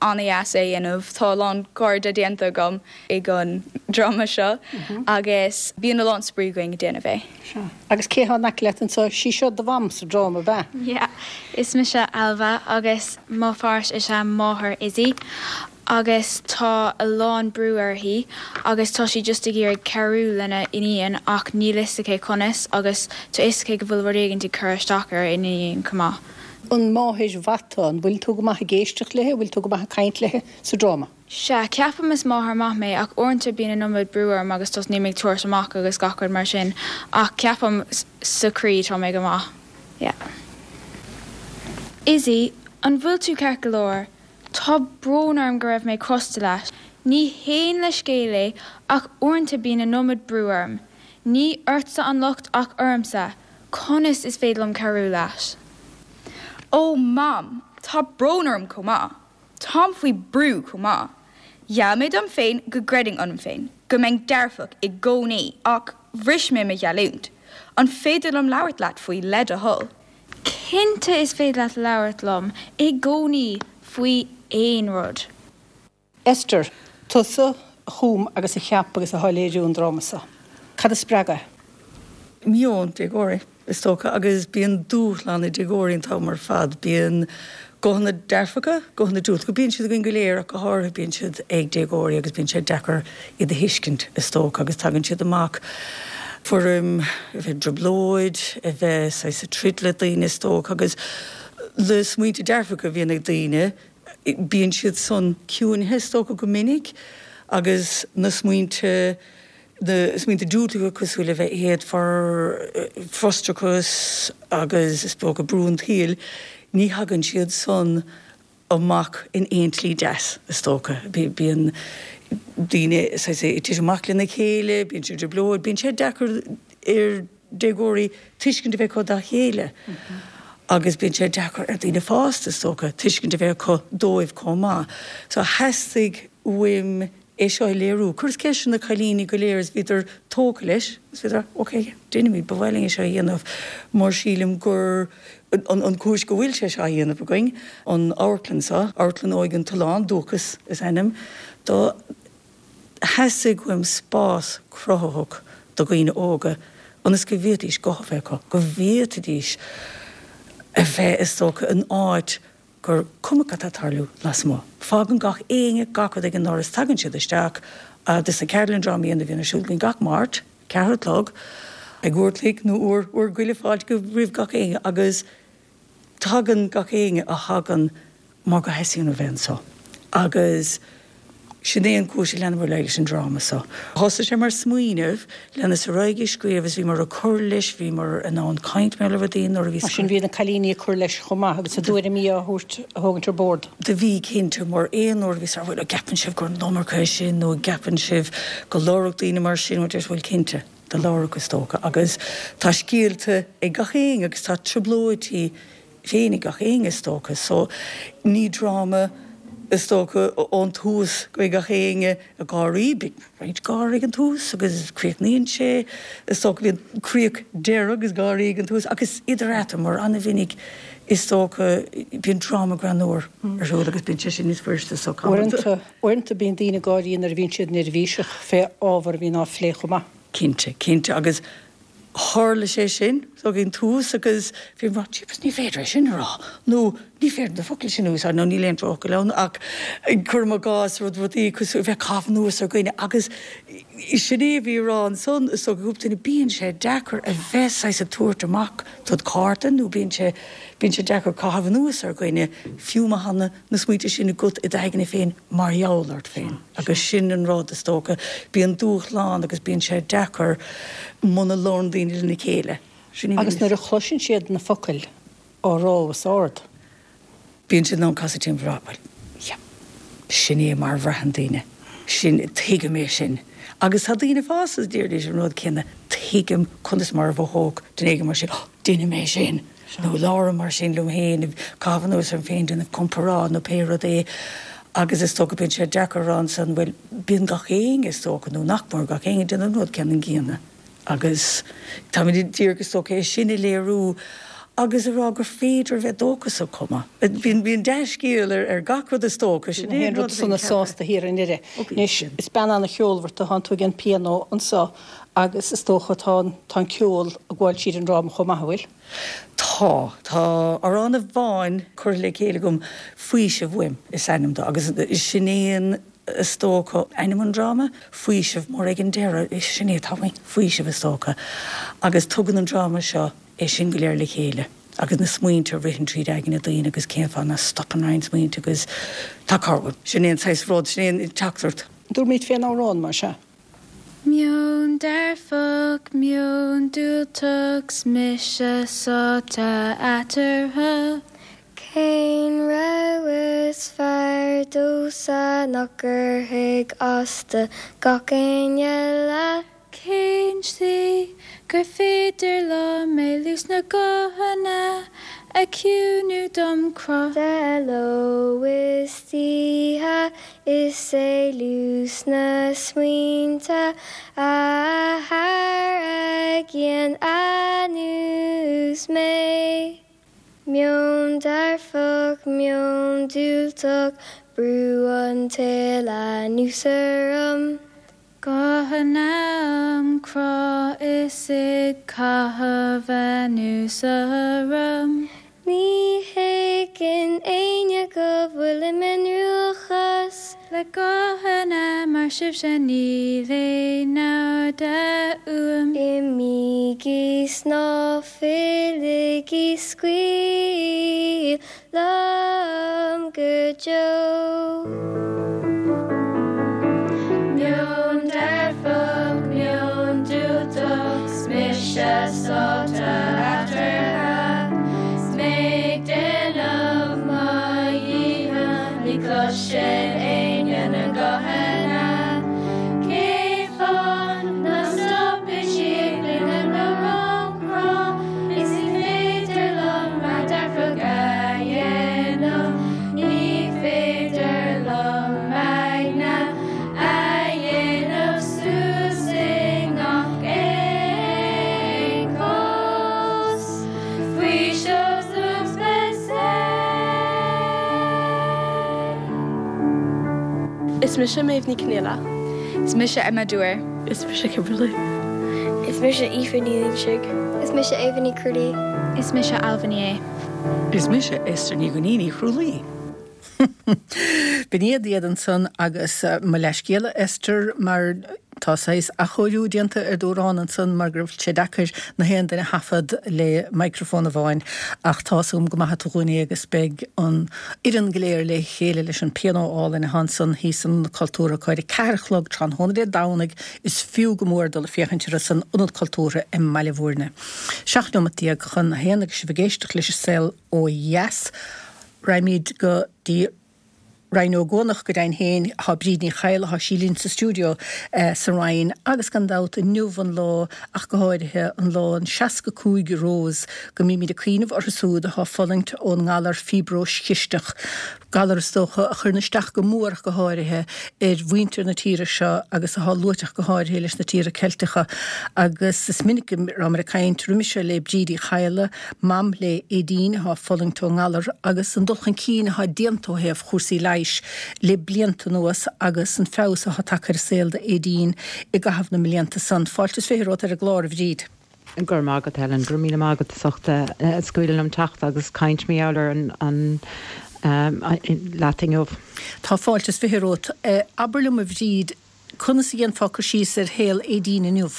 Speaker 6: an-deas é a dhéanamh, tá a lán cairde déanta agam ag an dráma seo agus bíonn a lán spraoi againn ag déanamh é.
Speaker 1: Sea. Agus cé atá in aice leat anseo? Sí seo do mham sa dráma, ab ea?
Speaker 7: Yeah. Is mise Ailbhe agus mo pháirt is ea máthair Izzy agus tá a lán brú uirthi agus tá sí just ag iarraidh cabhrú lena iníon ach níl fhios aici conas agus tá fhios aici go bhfuil rud éigin ag cur isteach ar a iníon chomh maith.
Speaker 1: An máthair mhaith tú? An bhfuil tú go maith ag éisteacht léi? An bhfuil tú go maith ag caint léi sa dráma?
Speaker 7: Sea, ceapaim is máthair maith mé ach uaireanta bíonn an iomad brú orm agus tosnaím ag tabhairt amach agus gach rud mar sin ach ceapaim sa chroí tá mé go maith. Yeah. Izzy, an bhfuil tú ceart go leor? Tá brón orm go raibh mé crosta leat. Ní haon leithscéal é ach uaireanta bíonn an iomad brú orm. Ní ortsa an locht ach ormsa, conas is féidir liom cabhrú leat?
Speaker 6: Ó Mam, tá brón orm chomh maith. Táim faoi brú chomh maith. Gheall mé dom féin go gcreidfinn ionam féin, go mbeinn dearfach i gcónaí ach bhris mé mo gheallúint. An féidir liom labhairt leat faoi le do thoil?
Speaker 7: Cinnte is féidir leat labhairt liom i gcónaí faoi aon rud.
Speaker 1: Esther, tusa a chum agus a cheap agus atá ag léiriú an dráma seo. Cad a spreag é?
Speaker 8: Meon déagóirí, is dócha, agus bíonn dúshlán ag déagóirí an t-am ar fad. Bíonn guthanna dearfacha, guthanna diúltacha, bíonn siad againn go léir ach go háirithe bíonn siad ag déagóirí agus bíonn sé deacair iad a thuiscint, is dócha, agus tagann siad amach i bhfoirm a bheith i dtrioblóid, a bheith saghas ag troid le daoine, is dócha, agus na smaointe dearfacha a bhíonn ag daoine, bíonn siad san ciúinithe, is dócha, go minic, agus na smaointe, na smaointe diúltacha cosúil le bheith éadmhar, frustrachas agus is dócha brú an tsaoil, ní thagann siad san amach in aon tslí deas, is dócha. Bíonn daoine saghas ag titim amach lena chéile, bíonn siad i dtrioblóid, bíonn sé deacair ar déagóirí tuiscint a bheith acu dá chéile agus bíonn sé deacair ar daoine fásta, is dócha, tuiscint a bheith acu dóibh chomh maith. So theastaigh uaim é seo a léiriú. Chuireas ceist ar na cailíní go léir is bhíodar tógtha leis is bhíodar ok, déanfaimid, ba mhaith linn é seo a dhéanamh mar sílim gur an an chúis go bhfuil sé seo á dhéanamh againn, an amharclann seo, Amharclann Óige an tSuláin, Dúchas is ainm dó. Theastaigh uaim spás cruthaitheach do dhaoine óga ionas go bhféadfaidís guth a bheith acu, go bhféadfaidís a bheith, is dócha, in áit gur cuma cad tá ag tarlú lasmuigh. Fágann gach éinne gach rud ag an ndoras, tagann siad isteach agus na ceardlann drámaíochta a bhíonn ar siúl againn gach Máirt, ceathair a chlog, ag uair a chloig nó uair, uair go leith fáilte roimh gach éinne agus tagann gach éinne a thagann mar go theastaíonn a bheith anseo agus Sin é an chúis a leanamar ar aghaidh leis an dráma seo. Thosaigh sé mar smaoineamh, leanas ar aghaidh ag scríobh is bhíomar ag cur leis, bhíomar in ann caint mar le rudaí nuair a bhí.
Speaker 1: Mar sin bhí na cailíní ag cur leis chomh maith agus a dtuairimí á thabhairt, a thógaint ar bord.
Speaker 8: Do bhí, cinnte, mar aon uair a bhí sé, bhuel, an gceapann sibh gur an iomarca é sin nó an gceapann sibh go labhródh daoine mar sin, bhuel, deir, bhuel, cinnte, do labhródh is dócha agus tá scéalta ag gach éinne agus tá trioblóidí féin ag gach éinne is dócha so ní dráma is dócha ón tús go mbeidh gach éinne ag gáirí, beidh roinnt gáire ag an tús agus críochnaíonn sé is dócha bíonn críoch deireadh agus gáirí ag an tús agus idir eatarthu mar an-mhinic is dócha bíonn dráma greannmhar ar siúl agus bíonn sé sin níos fuiriste so
Speaker 1: Uaireanta, uaireanta bíonn daoine ag gáirí nuair a bhíonn siad neirbhíseach fé ábhar a bhíonn á phlé chomh maith.
Speaker 8: Cinnte, cinnte agus tharla sé sin ag an tús agus bhí mé jeepers ní féidir é sin a rá nó ní féidir na focail sin a úsáid nó níl aon drochfhocal ann ach cuirim i gcás rud rudaí cosúil bheith ag caitheamh anuas ar dhaoine agus sin é a bhí á rá ansan is dócha cúpla duine bíonn sé deacair a bheith saghas ag tabhairt amach dod chárta nó bíonn sé bíonn sé deacair caitheamh anuas ar dhaoine fiú má tá na na smaointe sin agat i d'aigne féin mar gheall ort féin agus sin an rud is dócha. Bíonn dúshlán agus bíonn sé deacair muna labhrann daoine lena chéile. Sin í
Speaker 1: Agus nuair a chloiseann siad na focail á rá os ard.
Speaker 8: Bíonn siad in ann casadh timpeall a rá, bhuel, yeah, sin é mar a bhraitheann daoine, sin, tuigim é sin. Agus tá daoine fásta a deiridís an rud céanna, tuigim conas mar a mhothódh duine éigin mar sin, oh, deinim é sin! Nó labhraím mar sin liom féin, ag caitheamh anuas orm féin, déanamh comparáid nó pé rud é agus is dócha bíonn sé deacair a rá ansan, bhuel, bíonn gach éinne is dócha, nó nach mór gach éinne ag déanamh an rud ceannann gcéanna agus táimid díreach is dócha é sin a léiriú agus a rá gur féidir a bheith dóchasach chomh maith. Bíonn, bíonn dea-scéal ar, ar gach rud is dócha, sin é an rud a bhíonn
Speaker 1: sona sásta thiar i nDoire. Anois, is bean an-cheolmhar tú, tánn tú ag an pianó anso agus is dócha tá an, tá an ceol ag gabháil tríd an dráma chomh maith, an bhfuil?
Speaker 8: Tá. Tá amhrán amháin curtha le chéile agam, Faoiseamh Uaim is ainm dó, agus sin é an, is dócha, ainm an dráma, Faoiseamh, mar ag an deireadh, sin é atá uainn, faoiseamh is dócha. Agus tugann an dráma seo é sin go léir le chéile. Agus na smaointe a ritheann tríd aigne daoine agus cén fáth nach stopann roinnt smaointe agus tá cabhair. Sin é an saghas rud, sin é an teachtaireacht.
Speaker 1: Dúirt fén amhrán mar sea.
Speaker 7: Meon dearfach, meon diúltach, 's mise sáite eatarthu.
Speaker 4: Cén rogha is fearr domhsa nach gcuirfidh as do gach éinne leat?
Speaker 7: Cén tslí gur féidir liom éalú 's na guthanna ag ciúnú dom crá?
Speaker 4: De ló is d'oíche is é luas na smaointe a tharraingíonn anuas mé. Meon dearfach, meon diúltach, brú an tsaoil anuas orm.
Speaker 7: Guthanna am crá is ag caitheamh anuas orm.
Speaker 4: Ní thuigeann éinne go bhfuilim i ndruachás.
Speaker 7: Le guthanna mar sibhse níl aon namhad uaim.
Speaker 4: Imígí 's ná filligí scaoil liom go deo.
Speaker 7: Meon dearfach, meon diúltach, 's mise sáite eatarthu. 'S mé ag déanamh mo dhícheall, ní chloiseann éinne na guthanna. Cén fáth nach stopann siad ag glaoch am crá? Is ní féidir liom rud dearfach a dhéanamh, ní féidir liom m'aigne a dhéanamh suas i ngach aon chás. Faoiseamh dom
Speaker 5: Is mise Méabh Ní Conghaile.
Speaker 6: Is mise Emma Dwyer.
Speaker 5: Is mise Kimberly.
Speaker 4: Is mise Aoife Ní Loingsigh. Is mise Eva Ní Crualaoi.
Speaker 7: Is mise Ailbhe Ní Aodha.
Speaker 8: Is mise Esther Ní Ghainín Ní Chrualaoi.
Speaker 1: B'in iad iad ansan agus uh, mo leithscéal Esther mar tá saghas athchóiriú déanta ar d'amhrán ansan mar go raibh sé deacair na haon duine a thaifead le microfón amháin ach tá um go maith dúinne agus beidh an fhoireann go léir le chéile leis an pianó álainn ansan thíos san Cultúrtha ar a ceathair a chlog tráthnóna Dé Domhnaigh is fiú go mór dul ag féachaint ar san Ionad Cultúrtha i mBaile Bhúirne. Seacht nóiméad déag chun a haon agus sibh ag éisteacht leis an Saol Ó Dheas. Raghaimid go dtí Rinn Ó gCuanach go deimhin féin tá Bríd Ní Chadhla tá sí linn sa stiúideo eh, sa Rinn agus gan dabht inniu an lá ach go háirithe an lá an seasca cúig Rose go mbímid ag cuimhneamh orthu siúd atá ag fulaingt ón ngalar fiobróis chisteach. Galar is dócha a chuireann isteach go mór go háirithe ar mhuintir na tíre seo agus atá luaite go háirithe leis na tíortha Ceilteacha agus is minic rabhamar ag caint roimis le Bríd Uí Chadhla, mam le Aideen atá ag fulaingt ón ngalar agus an dul chun cinn atá déanta ó thaobh chúrsaí leighis le blianta anuas agus an feabhas atá tagtha ar saol d'Aideen i gcaitheamh na mblianta san. Fáilte is fiche romhat ar an gclár a Bhríd.
Speaker 9: Gur mágad Helen, gur míle mágad sochta scuileann am techt agus caint mé ar an an um, leating.
Speaker 1: Tá fáilte is fiche romhat. Abair liom a Bhríd, conas a dhéanfá cur síos ar shaol Aideen inniu.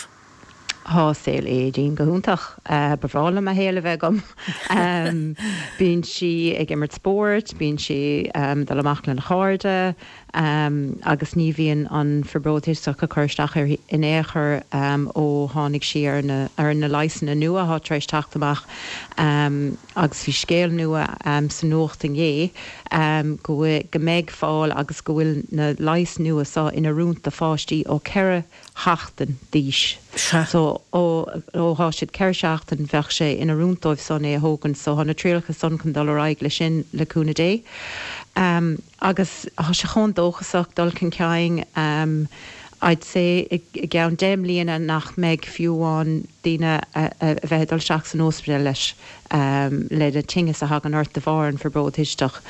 Speaker 9: Tá saol Aideen go hiontach ba bhreá liom a shaol a bheith agam. Bíonn sí ag imirt spóirt, bíonn sí dul amach lena cairde, agus ní bhíonn an fiobróis chisteach ag cur isteach ar in aon chor ó tháinig sí ar na ar na leigheasanna nua atá tar éis teacht amach agus bhí scéal nua sa nuacht inné go go mbeidh fáil agus go bhfuil na leighis nua seo in oiriúint do pháistí ó ceithre sheachtain d'aois. So ó ó siad ceithre seachtain bheadh sé in oiriúint dóibh san é a thógaint, so tá na trialacha san chun dul ar aghaidh le sin le cúnamh Dé. Um, agus tá sé chomh dóchasach dul chun cinn um, I'd say i gceann deich mbliana nach mbeidh fiú an daoine a bheith dul isteach san ospidéal leis um, le le tinneas a thagann ort de bharr an fiobróis chisteach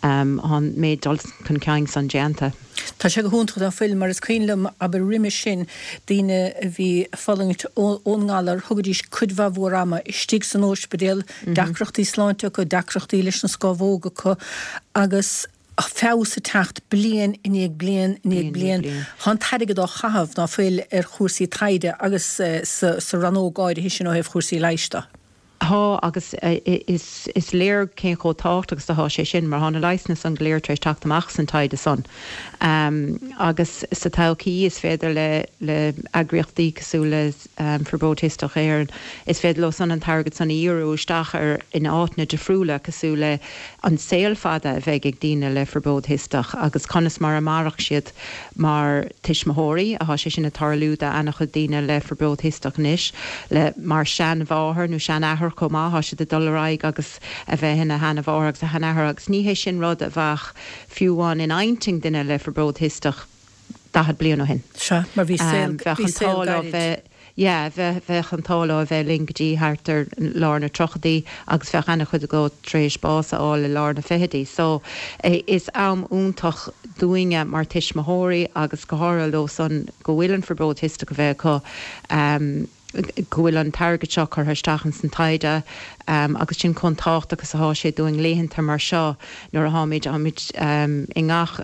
Speaker 9: um, an méid dul chun cinn san déanta.
Speaker 1: Tá sé go hiontach ná fuil mar is cuimhin liom abair roimhe sin daoine a bhí ag fulaingt ón ngalar thugaidís cuid mhór ama istigh san ospidéal, mm -hmm. deacrachtaí sláinte acu, deacrachtaí leis na scamhóga acu agus feabhas ag teacht bliain i ndiaidh bliain i ndiaidh bliain. Tá an t-airgead á chaitheamh ná fuil ar chúrsaí taighde agus uh, sa, sa rannóg áirithe sin ó thaobh chúrsaí leighis de.
Speaker 9: Tá agus is is léir cén chomh tábhachtach agus atá sé sin mar tá na leigheasanna san go léir tar éis teacht amach san taighde san. Um, agus sa todhchaí is féidir le le eagraíochtaí cosúil le um, Fiobróid Chisteach Éireann, is féidir leo san an t-airgead san a dhíriú isteach ar in áiteanna difriúla cosúil le an saol fada a bheidh ag daoine le fiobróid chisteach agus conas mar a mairfidh siad mar tuismitheoirí atá sé sin ag tarlú do an-chuid daoine le fiobróid chisteach anois le mar seanmháthair nó seanathair chomh maith tá siad ag dul ar aghaidh agus a bheith ina sheanmháthair agus a sheanathair agus ní hé sin rud a bheadh fiú amháin in intinn duine le fiobróid chisteach daichead bliain ó shin.
Speaker 1: Sea, mar bhí saol
Speaker 9: bheadh an t-ádh leo bheith yeah, bheith bheadh an t-ádh leo a bheith linn go dtí thart ar lár na tríochaidí agus bheadh an-chuid acu tar éis bás a fháil i lár na fichidí. So is am iontach dúinne mar tuismitheoirí agus go háirithe leo san go bhfuil an fiobróid chisteach a bheith acu um, go bhfuil an t-airgead seo curtha isteach ins an taighde um, agus sin chomh tábhachtach is atá sé dúinn laethanta mar seo nuair a tháimid táimid um, i ngach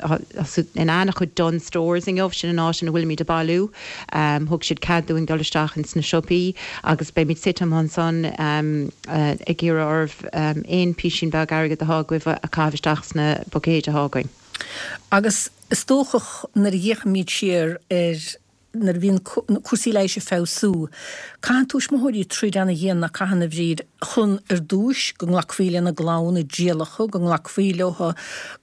Speaker 9: in an-chuid Dunnes Stores inniu sin an áit ina bhfuilimid ag bailiú um, thug siad cead dúinn dul isteach ins na siopaí agus beimid suite ansan um, uh, ag iarraidh oraibh um, aon písín beag airgead atá agaibh a chaitheamh isteach sna buicéid atá againn.
Speaker 1: Agus is dócha nuair a fhéachaimid siar ar nuair a bhíonn cúrsaí leighis ag feabhsú. Caitheann tuismitheoirí troid ana-dhian ná caitheann a Bhríd chun ar dtúis go nglacfaí lena gclann i dtrialacha, go nglacfaí leo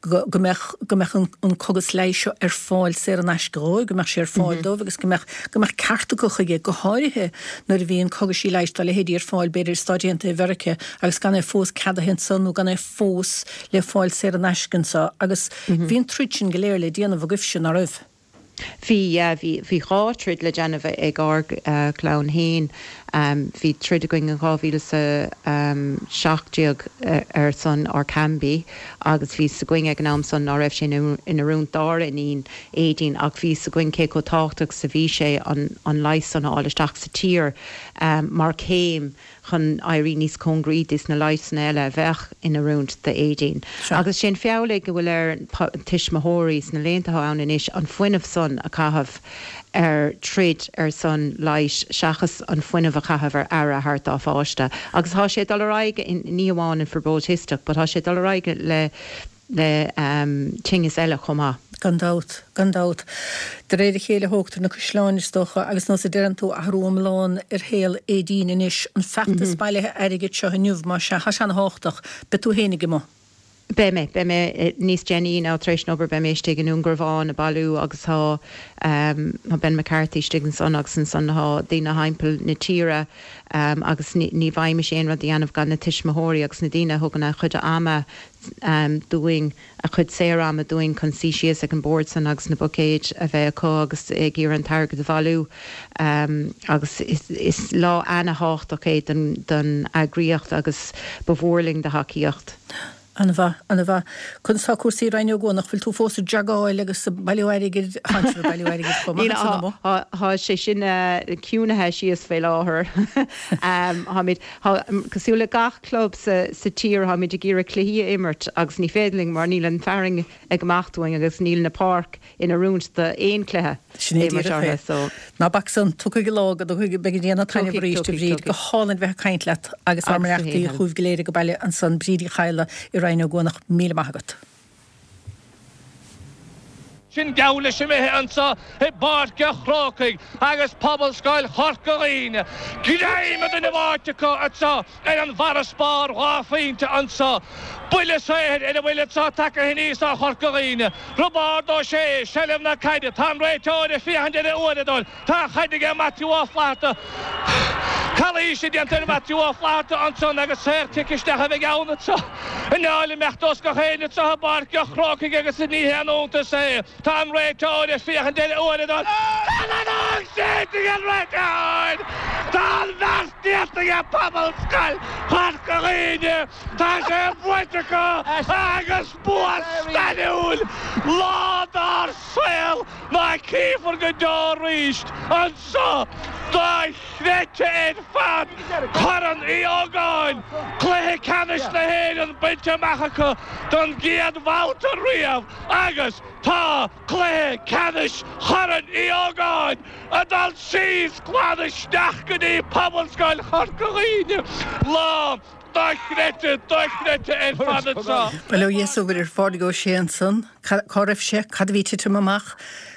Speaker 1: go mbeadh go mbeadh an cógas leighis seo ar fáil saor in aisce dhóibh, go mbeadh sé ar fáil dóibh agus go mbeadh go mbeadh ceart acu chuige, go háirithe nuair a bhíonn cogaisí leighis dá leithéidí ar fáil b'fhéidir i Stáit Aontaithe Mheiriceá agus gan é fós ceadaithe anso nó gan é fós le fáil saor in aisce anso agus bhí an troid sin go léir le déanamh agaibhse, ná raibh?
Speaker 9: Bhí, yeah, bhí, bhí dhá troid le déanamh ag ár gclann féin. Bhí troid againn in dhá mhíle is a seacht déag ar son Orkambi agus bhí 's againn ag an am san ná raibh sé in oiriúint dár iníon Aedín ach bhí 's againn cé chomh tábhachtach is a bhí sé an, an leigheas san a fháil isteach sa tír mar chéim chun éirí níos cóngaraí dos na leigheasanna eile a bheadh in oiriúint d'Aedín. Agus sé an feall é go bhfuil ar tuismitheoirí sna laethanta atá ann anois an fuinneamh san a chaitheamh ar troid ar son leighis seachas an fuinneamh a chaitheamh ar aire a thabhairt dá pháiste. Agus tá sé ag dul ar aghaidh ní amháin an fiobróid chisteach but tá sé ag dul ar aghaidh le le tinneas eile chomh maith.
Speaker 1: Gan dabht, gan dabht. De réir a chéile a thógtar na caisleáin, is dócha, agus nós a deireann tú, athrú iomlán ar shaol Aedín anois. An feachtas bailithe airgid seo inniu, más ea, tá sé ana-thábhachtach. Beidh tú fhéinig amuigh.
Speaker 9: Beidh mé, beidh mé níos déanaí ná tar éis an obair, beidh mé istigh i nDún Garbhán ag bailiú agus tá tá Ben McCarthy istigh ansan agus ansan tá daoine thimpeall na tíre agus ní bhfaighimís aon rud a dhéanamh gan na tuismitheoirí agus na daoine a thugann a chuid ama dúinn, a chuid saor-ama dúinn chun suí síos ag an bord san agus na buicéid a bheith acu agus ag iarraidh an t-airgead a bhailiú agus is lá ana-thábhachtach é don eagraíocht agus ba mhór linn do thacaíocht.
Speaker 1: An-mhaith, an-mhaith. Conas tá cúrsaí i Rinn Ó gCuanach? Bhfuil tú fós ag jogáil agus ag bailiú airgid? Tánn sibh ag bailiú airgid chomh maith ansan amuigh.
Speaker 9: Tá sé sin ciúnaithe síos fé láthair. Táimid, cosúil le gach club sa tír, táimid ag iarraidh cluichí a imirt agus ní féidir linn mar níl an fearann ag imeacht uainn agus níl na páirc in oiriúint d'aon chluiche
Speaker 1: Sin é díreach é. Ná bac san, tiocfaidh an lá go dtiocfaidh, beidh an déanamh taitneamh arís, a Bhríd. Go hálainn bheith ag caint leat agus ár mbeannachtaí chugaibh go léir ag baile ansan, Bríd Uí Chadhla i Rinn Ó gCuanach, míle maith agat.
Speaker 10: Sin geall leis imithe anso i bPáirc a' Chrócaigh agus Pobalscoil Chorca Dhuibhne greim an duine bháite acu anso ar an bhfarasbarr dhá phointe anso. Buille saothair ar a bhfuil anso tagtha aníos ó Chorca Dhuibhne. Roibeárd Ó Sé, seilbh na caide. Tá an réiteoir ag féachaint ar a uaireadóir. Tá an chaid aige Maitiú Ó Flatharta. Calaois déanta ar Mhaitiú Ó Flatharta ansan agus saor-chic isteach a bheidh ann anso i ndáil imeacht os gach éinne anso i bPáirc a' Chrócaigh agus ní haon iontas é. Tá an réiteoir ag féachaint ar a uaireadóir. Tá an fheadóg séidte ag an réiteoir! Tá an bheart déanta ag Pobalscoil Chorca Dhuibhne! Tá sé buaite acu agus bua stairiúil! Lá dár saol ná cífear go deo arís anso! Dochreidte ar fad! fad! Corn Uí Ógáin, cluiche ceannais na hÉireann bainte amach acu don gcéad bhabhta riamh agus tá cluiche ceannais Chorn Uí Ógáin ag dul síos glan isteach go dtí Pobalscoil Chorca Dhuibhne. Lá dochreidte, dochreidte ar fad anseo.
Speaker 1: Bail ó Dhia is ar Phádraig Ó Sé ansan. Cá raibh sé? Cad a bhí ag titim amach?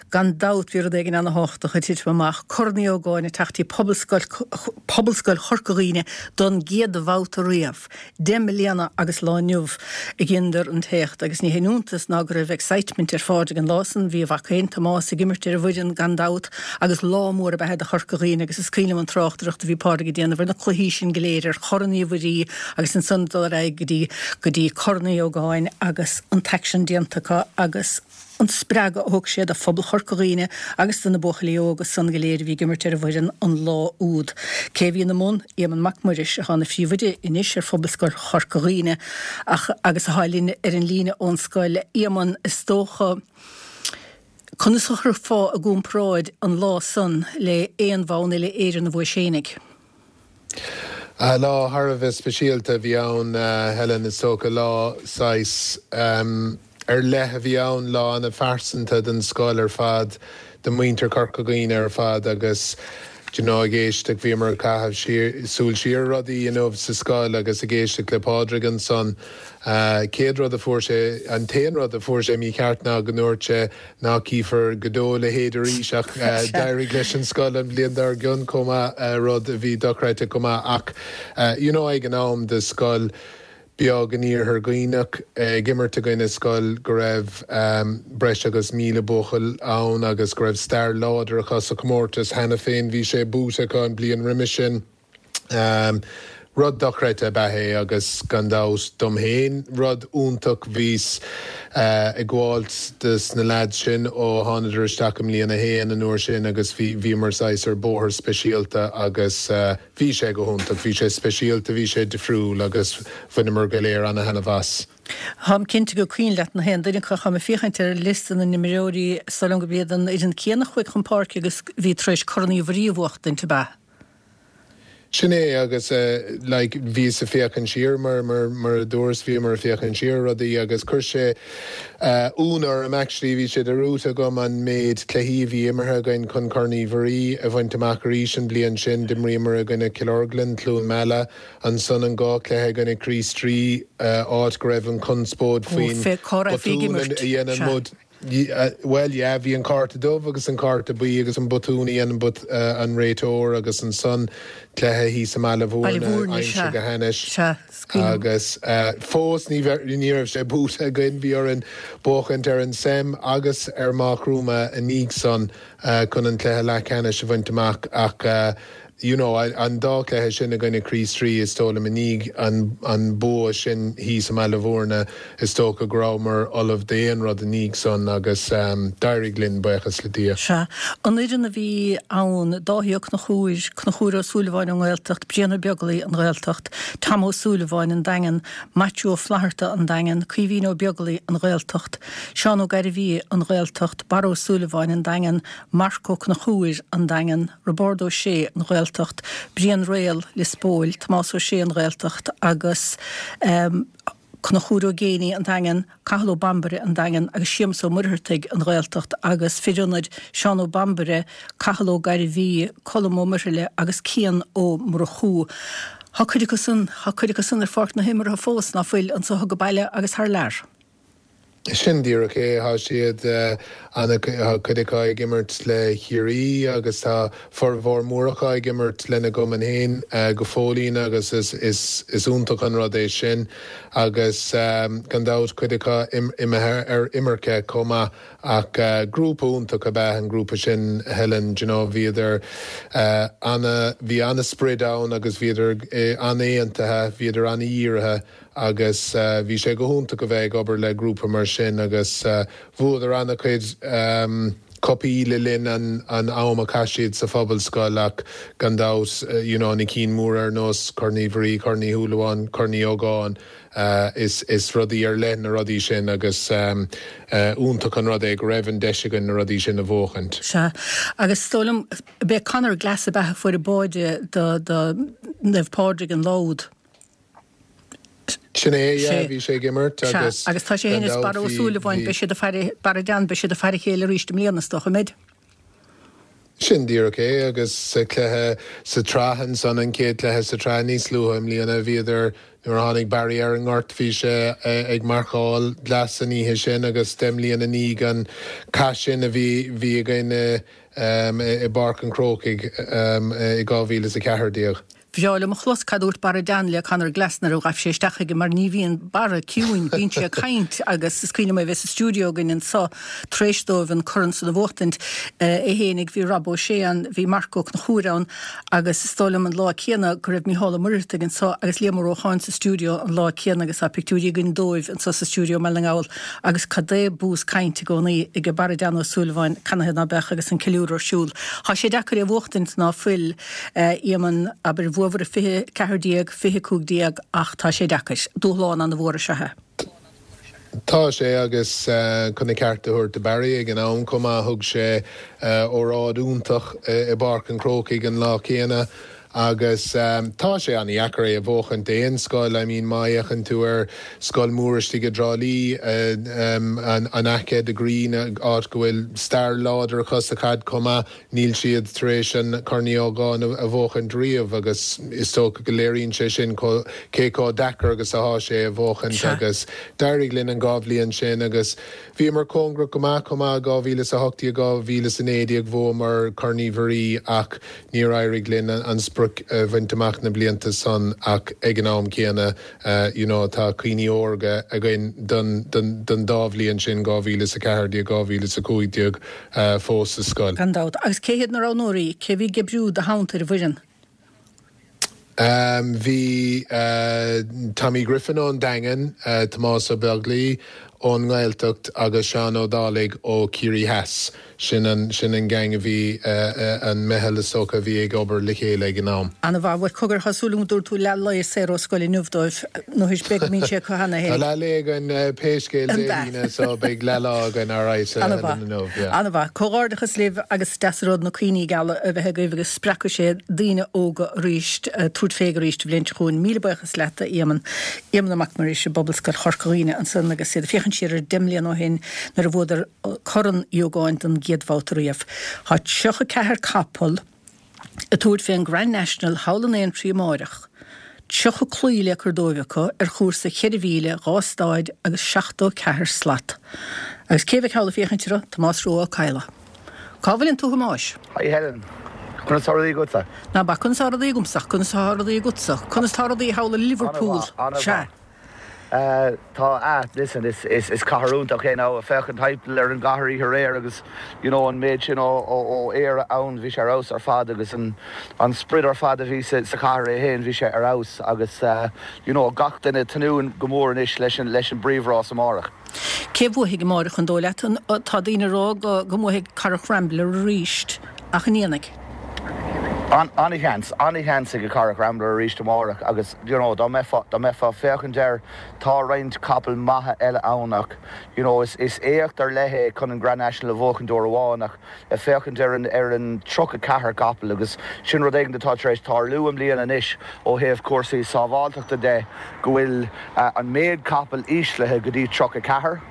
Speaker 1: Gan dabht bhí rud éigin ana-thábhachtach ag titim amach, Corn Uí Ógáin ag teacht dtí Pobalscoil Pobalscoil Chorca Dhuibhne don gcéad bhabhta riamh. Deich mbliana agus lá inniu a dheineadar an t-éacht agus ní haon iontas ná go raibh excitement ar Phádraig an lá san. Bhí a mhac féin, Tomás, ag imirt ar an bhfoireann gan dabht agus lá mór ab ea é do Chorca Dhuibhne agus is cuimhin liom an tráchtaireacht a bhí Pádraig ag déanamh ar na cluichí sin go léir, ar Chorn Uí Mhuirí agus ansan dul ar aghaidh go dtí go dtí Corn Uí Ógáin agus an t-aicsean déanta acu agus an spreagadh a thug sé do phobal Chorca Dhuibhne agus do na buachaillí óga san go léir a bhí ag imirt ar an bhfoireann an lá úd. Cé a bhí ina mbun? Éamonn Mac Muiris, atá ina phríomhoide anois ar Phobalscoil Chorca Dhuibhne ach agus atá linn ar an líne ón scoil. Éamonn, is dócha, conas a chuirfeá i gcomparáid an lá san le aon bhonn uile-Éireann a bhuais fhéinig?
Speaker 11: Lá thar a bheith speisialta a bhí ann, Helen, is dócha. Lá saghas ar leith a bhí ann, lá ana-phearsanta don scoil ar fad, do mhuintir Chorca Dhuibhne ar fad agus do you know ag éisteacht, bhíomar ag caitheamh súil siar ar rudaí inniu sa scoil agus ag éisteacht le Pádraig ansan. Céad rud a fuair sé, an t-aon rud a fuair sé mícheart ná go ndúirt sé nach gcífear go deo a leithéid arís ach d'éirigh leis an scoil an bhliain dár gcionn chomh maith, rud a bhí dochreidte chomh maith ach you know ag an am do scoil beag in iarthar Dhuibhneach ag imirt i gcoinne scoil go raibh breis agus míle buachaill ann agus go raibh stair láidir acu sa chomórtas cheana féin, bhí sé buaite acu an bhliain roimhe sin. Rud dochreidte ab ea é agus gan dabht dom féin rud iontach. Bhíos ag gabháilt dos na leaids sin ó thánadar isteach i mbliain a haon an uair sin agus bhí bhíomar saghas ar bóthar speisialta agus bhí sé go hiontach. Bhí sé speisialta, bhí sé difriúil agus bhaineamar go léir ana-thaitneamh as.
Speaker 1: Táim cinnte gur cuimhin leat na haon duine acu. Táim ag féachaint ar liosta na n-imreoirí, is dóigh liom gurb iad an fhoireann céanna a chuaigh chun páirce agus bhí tar éis Corn Uí Mhuirí a bhuachtaint, ab ea?
Speaker 11: Sin é agus like bhíos ag féachaint siar mar mar mar a dúras bhíomar ag féachaint siar ar rudaí agus chuir sé ionadh orm actually bhí sé dearmadta agam an méid cluichí a bhí imeartha againn chun Corn Uí Mhuirí a bhaint amach arís an bhliain sin. D'imríomar i gcoinne Cill Orglan, Cluain Meala, ansan an dhá chluiche i gcoinne Chríost Rí áit go raibh an chonspóid faoin botún a dhéanann muid. Bhuel, yeah, bhí an cárta dubh agus an cárta buí agus an botún a dhéanann an réiteoir agus ansan cluiche thíos i mBaile Bhúirne aimsir go hainnis agus fós ní ní raibh sé buaite againn, bhí orainn buachaint ar an Sem agus ar Maigh Chromtha i ndiaidh san chun an cluiche leathcheannais a bhaint amach ach you know, an dá chluiche sin i gcoinne Chríost Rí, is dóigh liom, i ndiaidh an, an bua sin thíos i mBaile Bhúirne, is dócha go rabhamar ullamh d'aon rud i ndiaidh san agus d'éirigh linn, buíochas le Dia.
Speaker 1: Sea. An fhoireann a bhí ann, Dáithí Ó Conchúir, Conchúr Ó Súilleabháin ón nGaeltacht, Brian Ó Beaglaoi, an Ghaeltacht, Tom Ó Súilleabháin, an Daingean, Maitiú Ó Flatharta, an Daingean, Caoimhín Ó Beaglaoi, an Ghaeltacht, Seán Ó Gairbhí, an Ghaeltacht, Barra Ó Súilleabháin, an Daingean, Marc Ó Conchúir, an Daingean, Roibeárd Ó Sé, an Ghaeltacht, Brian Réal, Lios Póil, Tomás Ó Sé, an Ghaeltacht, agus Conchúr Ó Géibheannaigh, an Daingean, Cathal Ó Bambaire, an Daingean, agus Séamus Ó Muircheartaigh, an Ghaeltacht, agus fir ionaid, Seán Ó Bambaire, Cathal Ó Gairbhí, Colm Ó Muirthile agus Cian Ó Murchú. Tá cuid acu san, tá cuid acu san ar pháirc na himeartha fós, ná fuil, anso ag baile agus thar lear.
Speaker 11: Sin díreach é, tá siad ana, tá cuid acu ag imirt le Ciarraí agus tá formhór mór acu ag imirt lena gcumann féin go fóillín agus is, is, is iontach an rud é sin agus gan dabht cuid acu imithe ar imirce chomh maith ach grúpa iontach ab ea an grúpa sin Helen, do you know, bhíodar ana, bhí ana-sprid ann agus bhíodar an-aontaithe, bhíodar ana-dhírithe. agus bhí sé go hiontach a bheith ag obair le grúpa mar sin agus bhuadar an-chuid cupaí le linn an an am a chaith siad sa phobalscoil ach gan dabht you know na cinn mór ar nós Corn Uí Mhuirí, Corn Uí Shúilleabháin, Corn Uí Ógáin is is rudaí ar leith na rudaí sin agus iontach an rud é go raibh an deis againn na rudaí sin a bhuachaint.
Speaker 1: Sea, agus is dóigh liom, b'é Conor Glass ab ea a fuair an báide do do Naomh Pádraig an lá úd.
Speaker 11: Sin é, yeah, bhí sé ag imirt agus
Speaker 1: Sea, agus tá sé féin is Barra Ó Súilleabháin, beidh siad ag faire, Barra Dan, beidh siad ag faire a chéile arís i mbliana is dócha, an mbeidh?
Speaker 11: Sin díreach é agus sa chluiche sa tsraith ansan, an chéad chluiche sa tsraith níos luaithe i mbliana, bhíodar, nuair a tháinig Barry ar an ngort bhí sé ag marcáil Glass an oíche sin agus deich mbliana i ndiaidh an cath sin a bhí bhí againn i i bPáirc an Chrócaigh i dhá mhíle is a ceathair déag.
Speaker 1: Bhreá liom a chlos cad dúirt Barra Dan le Conor Glass nuair a ghaibh sé isteach chuige mar ní bhíonn Barra ciúin, bíonn sé ag caint agus is cuimhin liom é bheith sa stiúideo againn anso tar éis dóibh an corn san a bhuachtaint, é fhéinig, bhí Rob Ó Sé ann, bhí Marc Ó Conchúir ann agus is dóigh liom an lá céanna go raibh Mícheál Ó Muircheartaigh anso agus Liam Ó Rócháin sa stiúideo an lá céanna agus tá pictiúirí againn dóibh anso sa stiúideo i mBaile na nGall agus cad é bús cainte i gcónaí ag Barra Dan Ó Súilleabháin, canathaobh ná beadh agus an ceiliúradh ar siúl. Tá sé deacair é a bhuachtaint ná fuil, Éamonn, abair, bhuabhair i fiche ceathair déag, fiche cúig déag ach tá sé deacair. Dúshlán an-mhór is ea é.
Speaker 11: Tá sé agus chun a cheart a thabhairt do Barry ag an am chomh maith thug sé óráid iontach i bPáirc an Chrócaigh an lá céanna agus tá sé an-dheacair é a bhuachaint d'aon scoil. I mean má fhéachann tú ar scoil mhór istigh i dTrá Lí, an Aice, The Green, áit go bhfuil stair láidir acu sa chaid chomh maith, níl siad tar éis an Corn Uí Ógáin a bhuachaint riamh agus is dócha go léiríonn sé sin cé chomh deacair agus atá sé a bhuachaint agus d'éirigh linn an dhá bhliain sin agus bhíomar cóngarach go maith chomh maith dhá mhíle is a hocht déag, dhá mhíle is a naoi déag bhuamar Corn Uí Mhuirí ach níor éirigh linn an sprioc a bhaint amach na blianta san ach ag an am céanna you know tá cuimhní órga againn don don dá bhliain sin, dhá mhíle is a ceathair déag, dhá mhíle is a cúig déag fós sa scoil.
Speaker 1: Gan dabht. Agus cé hiad na roghnóirí? Cé a bhí ag oibriú i do theannta ar an bhfoireann?
Speaker 11: Bhí Tommy Griffin ón Daingean, Tomás Ó Beaglaoi ón nGaeltacht agus Seán Ó Dálaigh ó Chiarraí Theas. Sin an, sin an gang a bhí, an meitheal is dócha a bhí ag obair le chéile ag an am.
Speaker 1: Ana-mhaith. Bhuel, cogar, tá súil agam go dtabharfaidh tú leath lae saor ó scoil inniu dóibh, nó is beag a mbíonn sé acu cheana
Speaker 11: féin. Tá leath lae againn pé scéal Dé hAoine so beidh leath lá againn alright inniu, yeah.
Speaker 1: Ana-mhaith. Comhghairdeachas libh agus is deas an rud na cuimhní geala a bheith agaibh agus spreagfaidh sé daoine óga arís tabhairt fé arís an bhliain seo chugainn. Míle buíochas leat, a Éamonn. Éamonn Ó Mac Muiris i bPobalscoil Chorca Dhuibhne ansan agus iad ag féachaint siar ar deich mbliana ó shin nuair a bhuadar Corn Uí Ógáin don gcéad bhabhta riamh. Tá tríocha ceathair capall ag tabhairt fén Grand National thall in Aintree amáireach. Tríocha claí le cur dóibh acu ar chúrsa cheithre mhíle, dhá staid agus seachtó ceathair slat. Agus cé a bheidh thall ag féachaint orthu? Tomás Rua Ó Cadhla. Cá bhfuileann tú a Thomáis?
Speaker 12: Hi Helen. Conas tá rudaí agatsa?
Speaker 1: Ná bac, conas tá rudaí agamsa ach conas tá rudaí agatsa? Conas tá rudaí thall i Liverpool?
Speaker 12: An-mhaith,
Speaker 1: Sea.
Speaker 12: an-mhaith. Tá, ah, listen, is, is, is cathair iontach é now, féachaint timpeall ar an gcathair oíche aréir agus, you know, an méid sin ó, ó, ó Éire ann, bhí sé ar fheabhas ar fad agus an, an sprid ar fad a bhí sa, sa chathair é féin, bhí sé ar fheabhas agus, you know, gach duine ag tnúth go mór anois leis an, leis an bpríomhrás amárach.
Speaker 1: Cé bhuafaidh amárach an dóigh leat? Tá daoine ag rá go, go mbuafaidh Corach Rambler arís, ach an ndéanfaidh?
Speaker 12: An-sheans, an-sheans ag Corach Rambler arís amárach agus you know dá mbeifeá, dá mbeifeá ag féachaint air tá roinnt capall maithe eile ann ach you know is, is éacht ar leith é chun an Grand National a bhuachaint uair amháin ach ag féachaint ar an, ar an tríocha ceathair capall agus sin rud éigin atá tar éis tarlú i mbliana anois ó thaobh cúrsaí sábháilteachta de go bhfuil an méid capall íslithe go dtí tríocha ceathair.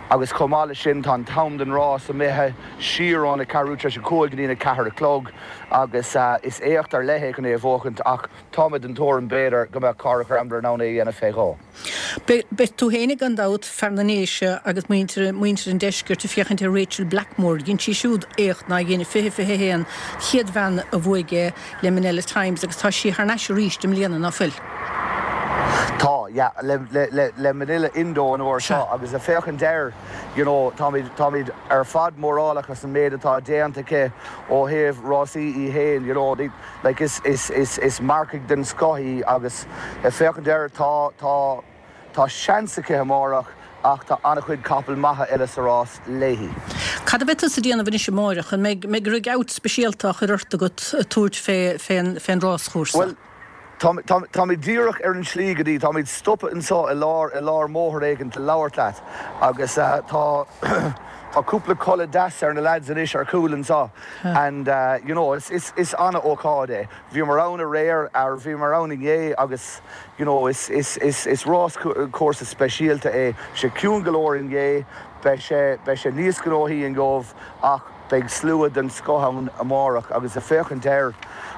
Speaker 12: Agus chomh maith leis sin tá an t-am don rás imithe siar óna ceathrú tar éis a cúig go dtí a ceathair a chlog agus is éacht ar leith é chun é a bhuachaint ach tá mé den tuairim b'fhéidir go mbeadh Corach Rambler in ann é a dhéanamh fé dhó.
Speaker 1: Beidh tú fhéinig gan dabht, fear na nDéise agus muintir muintir an deiscirt ag féachaint ar Rachel Blackmore. Dhein sí siúd éacht nár dhein i fiche fiche a haon, chéad bhean a bhuaigh é le Minella Times agus tá sí thar n-ais arís i mbliana, ná fuil?
Speaker 12: Tá, yeah, le, le, le, le Minella Indo an uair seo agus ag féachaint air, you know, táimid, táimid ar fad mórálach as an méid atá déanta aici ó thaobh rásaí í fhéin, you know, like is, is, is, is marcaigh den scoth í agus ag féachaint air tá, tá, tá seans aici amárach ach tá an-chuid capall maithe eile sa rás léi.
Speaker 1: Cad a bheidh tusa ag déanamh anois amáireach? An mbeidh mbeidh rig out speisialta á chur ort agat tabhairt fé fén fén ráschúrsa?
Speaker 12: Bhuel, tá tá táimid díreach ar an slí go dtí, táimid stoptha anseo i lár i lár mbóthar éigin le labhairt leat agus tá tá cúpla culaith deas ar na lads anois ar chúl anseo and you know is is is an-ócáid é. Bhíomar ann aréir, ar bhíomar ann inné agus you know is is is is ráschúrsa speisialta é. Sé ciúin go leor inné, beidh sé beidh sé níos gnóthaí inniu ach beidh slua den scoth ann amárach agus ag féachaint air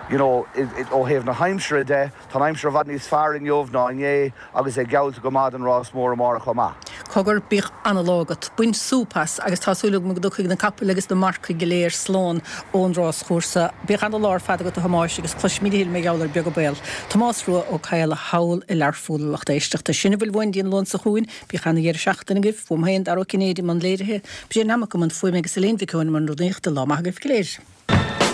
Speaker 12: you know ó thaobh na haimsire de, tá an aimsir i bhfad níos fearr inniu ná inné agus é geallta go maith don rás mór amárach chomh maith.
Speaker 1: Cogar, bíodh ana-lá agat, bain súp as agus tá súil agam go dtiocfaidh na capaill agus na marcaigh go léir slán ón ráschúrsa. Bíodh ana-lá ar fad agat a Thomáis agus cloisfimid a thuilleadh mar gheall air beag an baol. Tomás Rua Ó Cadhla thall i Learpholl a lucht éisteachta. Sin a bhfuil uainn go dtí an Luan seo chugainn. Bíodh ana-dheireadh seachtaine agaibh. Uaim féin, Dara Ó Cinnéide i mbun léirithe, Brian Hammock i mbun fuaime agus Elaine Mhic Eoin i mbun rúnaíochta. Lá maith agaibh go léir.